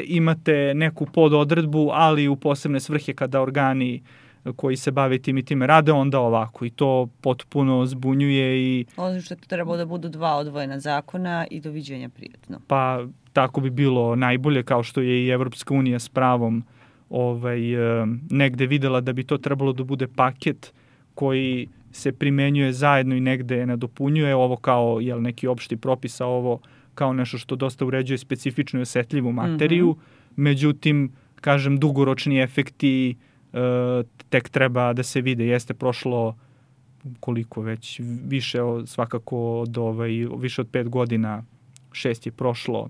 imate neku pododredbu, ali u posebne svrhe kada organi koji se bave tim i time rade, onda ovako. I to potpuno zbunjuje i... Ono što treba da budu dva odvojena zakona i doviđenja prijatno. Pa tako bi bilo najbolje, kao što je i Evropska unija s pravom negde videla da bi to trebalo da bude paket koji se primenjuje zajedno i negde nadopunjuje ovo kao neki opšti propis, a ovo kao nešto što dosta uređuje specifičnu i osetljivu materiju. Međutim, kažem, dugoročni efekti tek treba da se vide. Jeste prošlo koliko već, više svakako više od 5 godina, 6 je prošlo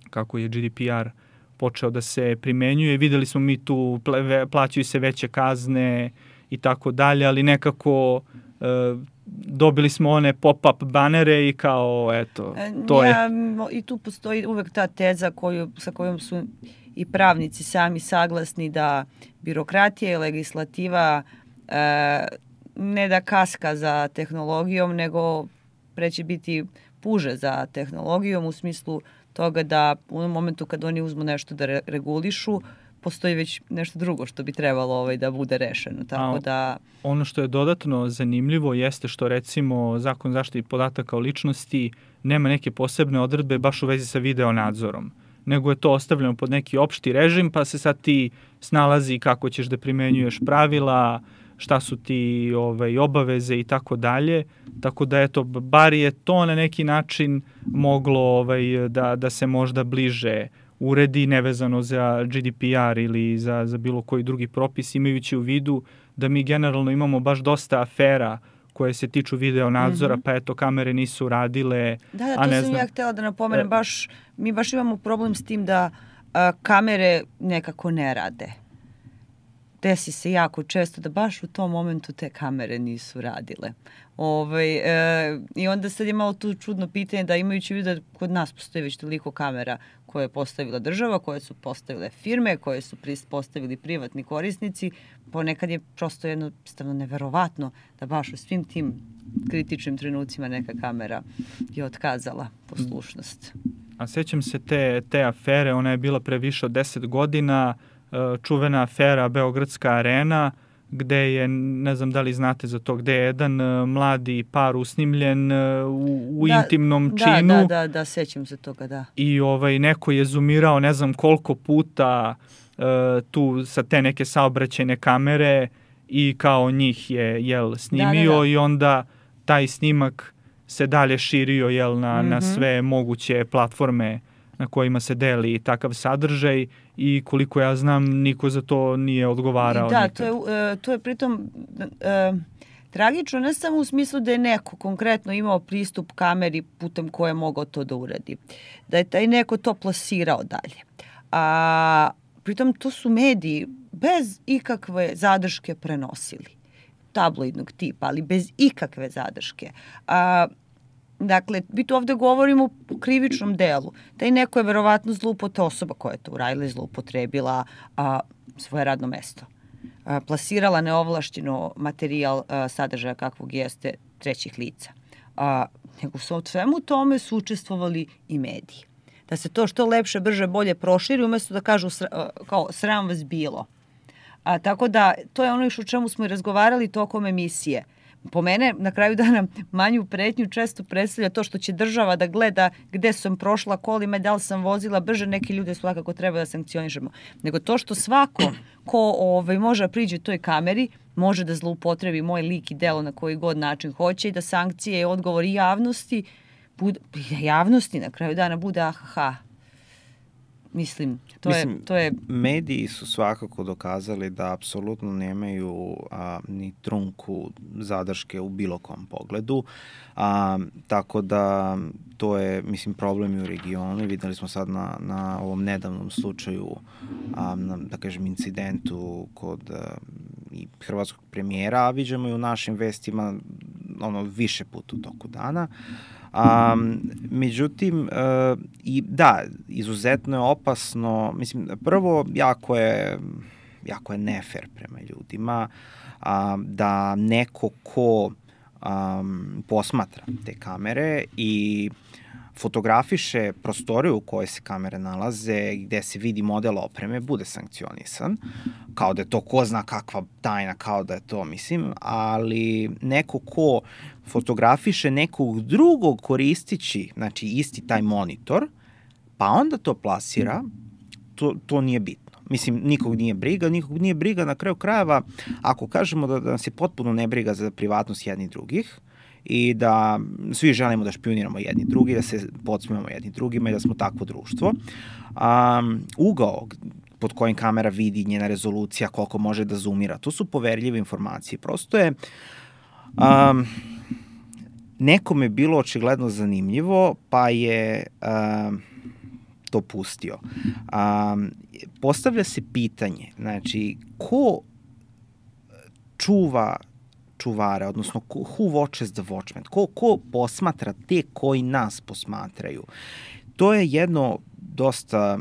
kako je GDPR počeo da se primenjuje. Videli smo mi tu, plaćaju se veće kazne i tako dalje, ali nekako dobili smo one pop-up banere i kao, eto, to je... I tu postoji uvek ta teza sa kojom su i pravnici sami saglasni da birokratija i legislativa ne da kaska za tehnologijom, nego preće biti puže za tehnologijom u smislu toga da u onom momentu kad oni uzmu nešto da regulišu, postoji već nešto drugo što bi trebalo da bude rešeno. Tako da... Ono što je dodatno zanimljivo jeste što recimo Zakon zaštiti podataka o ličnosti nema neke posebne odredbe baš u vezi sa video nadzorom, nego je to ostavljeno pod neki opšti režim, pa se sad ti snalazi kako ćeš da primenjuješ pravila, šta su ti obaveze i tako dalje. Tako da eto, bar je to na neki način moglo da se možda bliže uredi, nevezano za GDPR ili za bilo koji drugi propis, imajući u vidu da mi generalno imamo baš dosta afera koje se tiču video nadzora, pa eto, kamere nisu radile. Da, to sam ja htjela da napomenem, mi baš imamo problem s tim da kamere nekako ne rade. Desi se jako često da baš u tom momentu te kamere nisu radile. I onda sad je malo tu čudno pitanje da imajući u vidu da kod nas postoji već toliko kamera koje je postavila država, koje su postavile firme, koje su postavili privatni korisnici, ponekad je prosto jednostavno neverovatno da baš u svim tim kritičnim trenucima neka kamera je otkazala poslušnost. A sećam se te afere, ona je bila pre više od 10 godina, čuvena afera Beogradska arena, gde je, ne znam da li znate za to, gde je jedan mladi par usnimljen u intimnom činu. Da, sećam se toga, da. I neko je zoomirao ne znam koliko puta tu sa te neke saobraćajne kamere i kao njih je snimio i onda taj snimak se dalje širio na sve moguće platforme na kojima se deli takav sadržaj i koliko ja znam niko za to nije odgovarao nikad. To je pritom tragično ne samo u smislu da je neko konkretno imao pristup kameri putem koje je mogao to da uradi. Da je taj neko to plasirao dalje. A pritom to su mediji bez ikakve zadrške prenosili. Tabloidnog tipa, ali bez ikakve zadrške. Dakle, mi tu ovde govorimo o krivičnom delu. Taj neko je verovatno osoba koja je to uradila i zloupotrebila svoje radno mesto. Plasirala neovlašteno materijal sadržaja kakvog jeste trećih lica. Nego su od svemu tome su učestvovali i mediji. Da se to što lepše, brže, bolje proširi, umesto da kažu kao sram vas bilo. Tako da, to je ono o čemu smo i razgovarali tokom emisije. Po mene, na kraju dana, manju pretnju često predstavlja to što će država da gleda gde sam prošla kolima, da li sam vozila brže, neki ljude svakako treba da sankcionišemo. Nego to što svako ko može da priđe toj kameri, može da zloupotrebi moj lik i delo na koji god način hoće i da sankcije i odgovor i javnosti na kraju dana bude ahaha. Mislim, to je... Mediji su svakako dokazali da apsolutno nemaju ni trunku zadrške u bilo kom pogledu, tako da to je, mislim, problem i u regionu. Videli smo sad na ovom nedavnom slučaju, da kažem, incidentu kod i hrvatskog premijera, a viđamo i u našim vestima više puta u toku dana. Međutim, i da, izuzetno je opasno, mislim, prvo jako je nefer prema ljudima da neko ko posmatra te kamere i fotografiše prostoriju u kojoj se kamere nalaze, gde se vidi model opreme, bude sankcionisan, kao da je to ko zna kakva tajna, kao da je to, mislim, ali neko ko fotografiše nekog drugog koristići, znači isti taj monitor, pa onda to plasira, to nije bitno. Mislim, nikog nije briga na kraju krajeva, ako kažemo da nas je potpuno nebriga za privatnost jednih drugih, i da svi želimo da špijuniramo jedni drugi, da se podsmijemo jedni drugima i da smo takvo društvo. Ugao pod kojim kamera vidi, njena rezolucija, koliko može da zoomira, to su poverljive informacije. Prosto je nekome bilo očigledno zanimljivo, pa je to pustio. Postavlja se pitanje, znači, ko čuvare, odnosno who watches the watchmen, ko posmatra te koji nas posmatraju. To je jedno dosta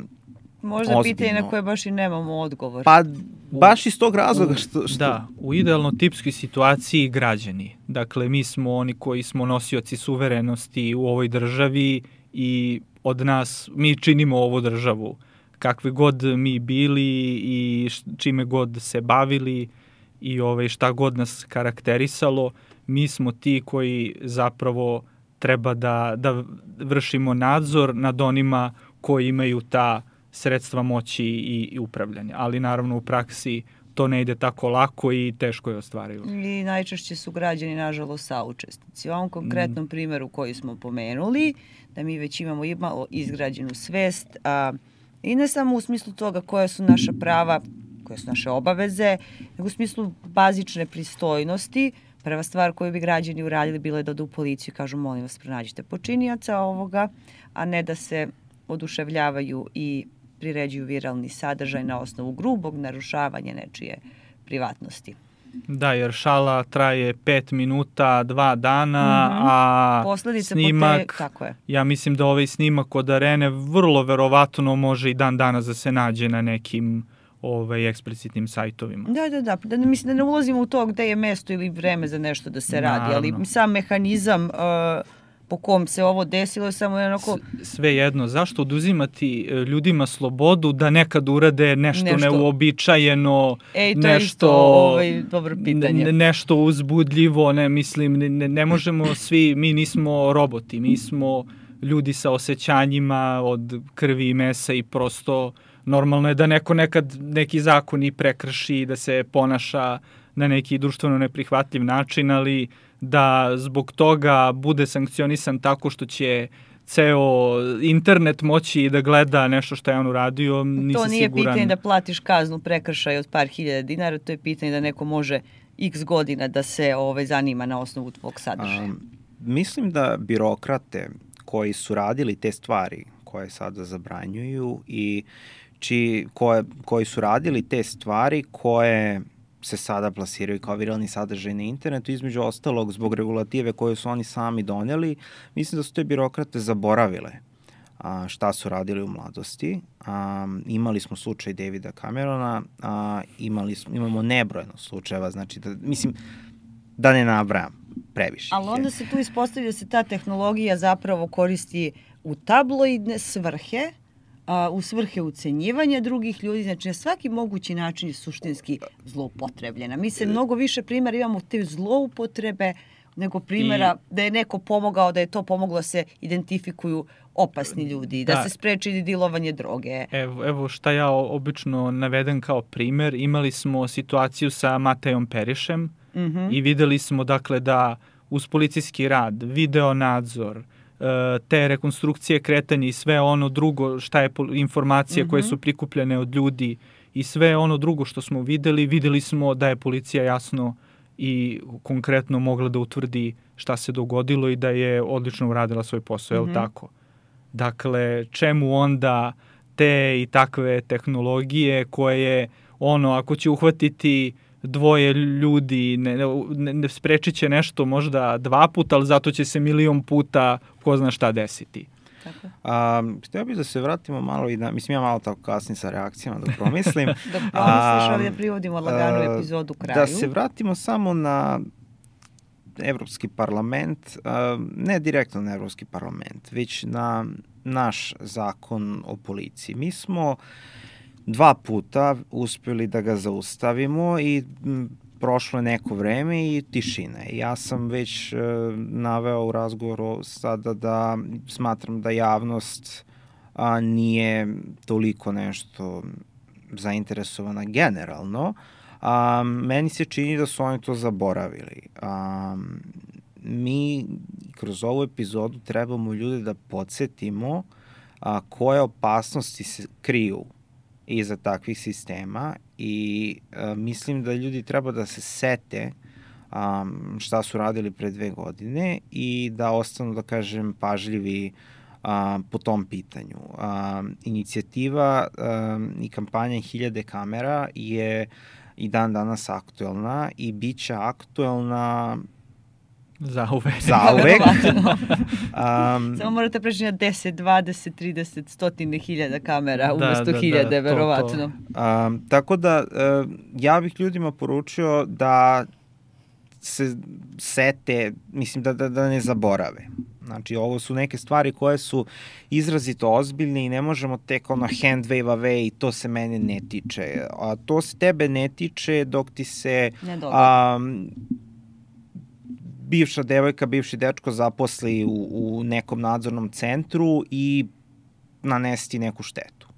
možda pitanje na koje baš i nemamo odgovor. Pa baš iz tog razloga što... Da, u idealno tipskoj situaciji građani. Dakle, mi smo oni koji smo nosioci suverenosti u ovoj državi i od nas, mi činimo ovu državu. Kakvi god mi bili i čime god se bavili i šta god nas karakterisalo, mi smo ti koji zapravo treba da vršimo nadzor nad onima koji imaju ta sredstva moći i upravljanja. Ali naravno u praksi to ne ide tako lako i teško je ostvarivo. I najčešće su građani, nažalost, saučesnici. U ovom konkretnom primjeru koji smo pomenuli, da mi već imamo izgrađenu svest, i ne samo u smislu toga koja su naša prava, koje su naše obaveze, nego u smislu bazične pristojnosti. Prva stvar koju bi građani uradili bila je da odu u policiju i kažu molim vas pronađite počinioca ovoga, a ne da se oduševljavaju i priređuju viralni sadržaj na osnovu grubog narušavanja nečije privatnosti. Da, jer šala traje 5 minuta, 2 dana, a posledice snimak, tako je. Ja mislim da ovaj snimak od Arene vrlo verovatno može i dan danas da se nađe na nekim eksplicitnim sajtovima. Da, mislim da ne ulazimo u to gde je mesto ili vreme za nešto da se radi, ali sam mehanizam po kom se ovo desilo je samo jednako... Sve jedno, zašto oduzimati ljudima slobodu da nekad urade nešto neuobičajeno, to je isto dobro pitanje. Nešto uzbudljivo, ne možemo svi, mi nismo roboti, mi smo ljudi sa osjećanjima od krvi i mesa i prosto normalno je da neko nekad neki zakon i prekrši, da se ponaša na neki društveno neprihvatljiv način, ali da zbog toga bude sankcionisan tako što će ceo internet moći da gleda nešto što je on uradio, nisam To nije siguran. pitanje da platiš kaznu prekršaj od par hiljada dinara, to je pitanje da neko može x godina da se zanima na osnovu tvog sadržaja. Mislim da birokrate koji su radili te stvari koje sada zabranjuju i koji su radili te stvari koje se sada plasiraju kao viralni sadržaj na internetu, između ostalog zbog regulative koje su oni sami doneli, mislim da su te birokrate zaboravile šta su radili u mladosti. Imali smo slučaj Davida Camerona, imamo nebrojeno slučajeva, znači da ne nabrajam previše. Ali onda se tu ispostavlja da se ta tehnologija zapravo koristi u tabloidne svrhe, u svrhe ucenjivanja drugih ljudi, znači na svaki mogući način je suštinski zloupotrebljena. Mi se mnogo više primjera imamo te zloupotrebe nego primjera da je neko pomogao, da je to pomoglo da se identifikuju opasni ljudi, da se spreči dilovanje droge. Evo šta ja obično navedem kao primer, imali smo situaciju sa Matejom Perišem i videli smo dakle da uz policijski rad, video nadzor, te rekonstrukcije kretanja i sve ono drugo šta je informacije koje su prikupljene od ljudi i sve ono drugo što smo videli smo da je policija jasno i konkretno mogla da utvrdi šta se dogodilo i da je odlično uradila svoj posao, je li tako? Dakle, čemu onda te i takve tehnologije koje, ako će uhvatiti dvoje ljudi, ne sprečit će nešto možda 2 puta, ali zato će se 1.000.000 puta ko zna šta desiti. Htio bih da se vratimo malo i mislim ja malo tako kasnim sa reakcijama da promislim. Da promisliš, ali da privodimo laganu epizodu kraju. Da se vratimo samo na Evropski parlament, ne direktno na Evropski parlament, već na naš zakon o policiji. Mi smo 2 puta uspjeli da ga zaustavimo i prošlo je neko vreme i tišina. Ja sam već naveo u razgovoru sada da smatram da javnost nije toliko nešto zainteresovana generalno. Meni se čini da su oni to zaboravili. Mi kroz ovu epizodu trebamo ljude da podsjetimo koje opasnosti se kriju iza takvih sistema i mislim da ljudi treba da se sete šta su radili pre 2 godine i da ostanu, da kažem, pažljivi po tom pitanju. Inicijativa i kampanja 1000 kamera je i dan danas aktuelna i bit će aktuelna zauvek. Samo morate preći na 10, 20, 30, 100.000 kamera umesto 1000, verovatno. Tako da ja bih ljudima poručio da se sete, mislim da ne zaborave. Znači, ovo su neke stvari koje su izrazito ozbiljne i ne možemo tek hand wave away i to se mene ne tiče. A to se tebe ne tiče dok ti se bivša devojka, bivši dečko zaposli u nekom nadzornom centru i nanesti neku štetu.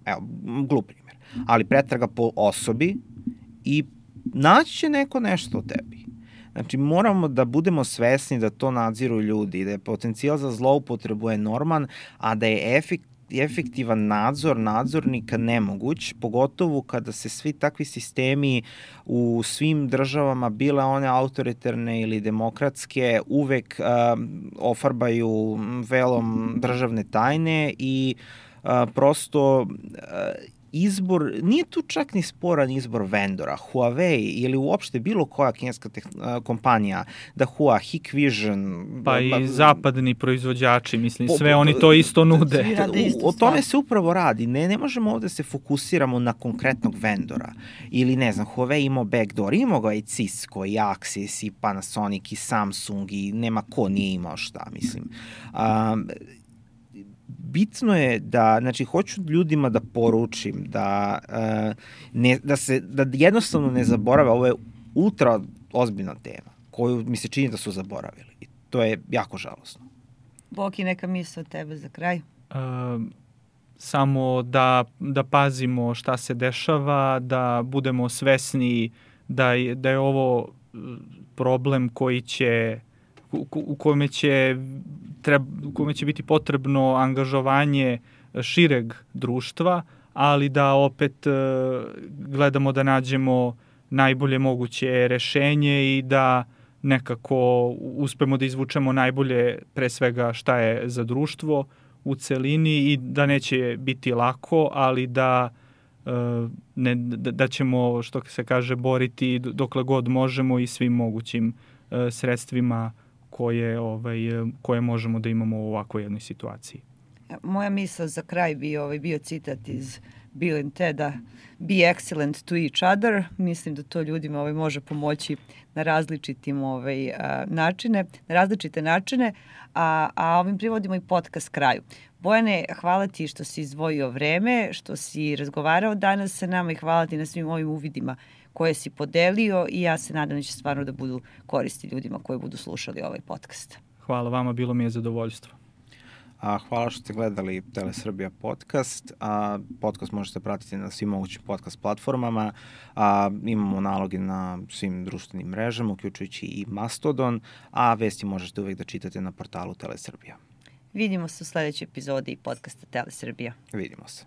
Evo, glup primjer. Ali pretraga po osobi i naći će neko nešto o tebi. Znači, moramo da budemo svesni da to nadziru ljudi, da je potencijal za zloupotrebu enorman, a da je efektivan nadzor nadzornika nemoguć, pogotovo kada se svi takvi sistemi u svim državama, bile one autoritarne ili demokratske, uvek ofarbaju velom državne tajne i prosto izbor, nije tu čak ni sporan izbor vendora. Huawei ili uopšte bilo koja kineska kompanija, da Hua, Hikvision... Pa i zapadni proizvođači, mislim, sve oni to isto nude. O tome se upravo radi. Ne možemo ovde se fokusiramo na konkretnog vendora. Ili, ne znam, Huawei imao backdoor, imao ga i Cisco, i Axis, i Panasonic, i Samsung, i nema ko nije imao šta, mislim. Bitno je da, znači, hoću ljudima da poručim da jednostavno ne zaborave, ovo je ultra ozbiljna tema koju mi se čini da su zaboravili. I to je jako žalosno. Boki, neka misla od tebe za kraj? Samo da pazimo šta se dešava, da budemo svesni da je ovo problem u kome će biti potrebno angažovanje šireg društva, ali da opet gledamo da nađemo najbolje moguće rešenje i da nekako uspemo da izvučemo najbolje pre svega šta je za društvo u celini i da neće biti lako, ali da ćemo, što se kaže, boriti dokle god možemo i svim mogućim sredstvima koje možemo da imamo u ovakvoj jednoj situaciji. Moja misla za kraj bio citat iz Bill and Teda, be excellent to each other. Mislim da to ljudima može pomoći na različite načine, a ovim privodimo i podcast kraju. Bojane, hvala ti što si izdvojio vreme, što si razgovarao danas sa nama i hvala ti na svim ovim uvidima koje si podelio i ja se nadam da će stvarno da budu koristi ljudima koji budu slušali ovaj podcast. Hvala vama, bilo mi je zadovoljstvo. Hvala što ste gledali Telesrbija podcast. Podcast možete pratiti na svim mogućim podcast platformama. Imamo naloge na svim društvenim mrežama, uključujući i Mastodon, a vesti možete uvek da čitate na portalu Telesrbija. Vidimo se u sledećoj epizodi podcasta Telesrbija. Vidimo se.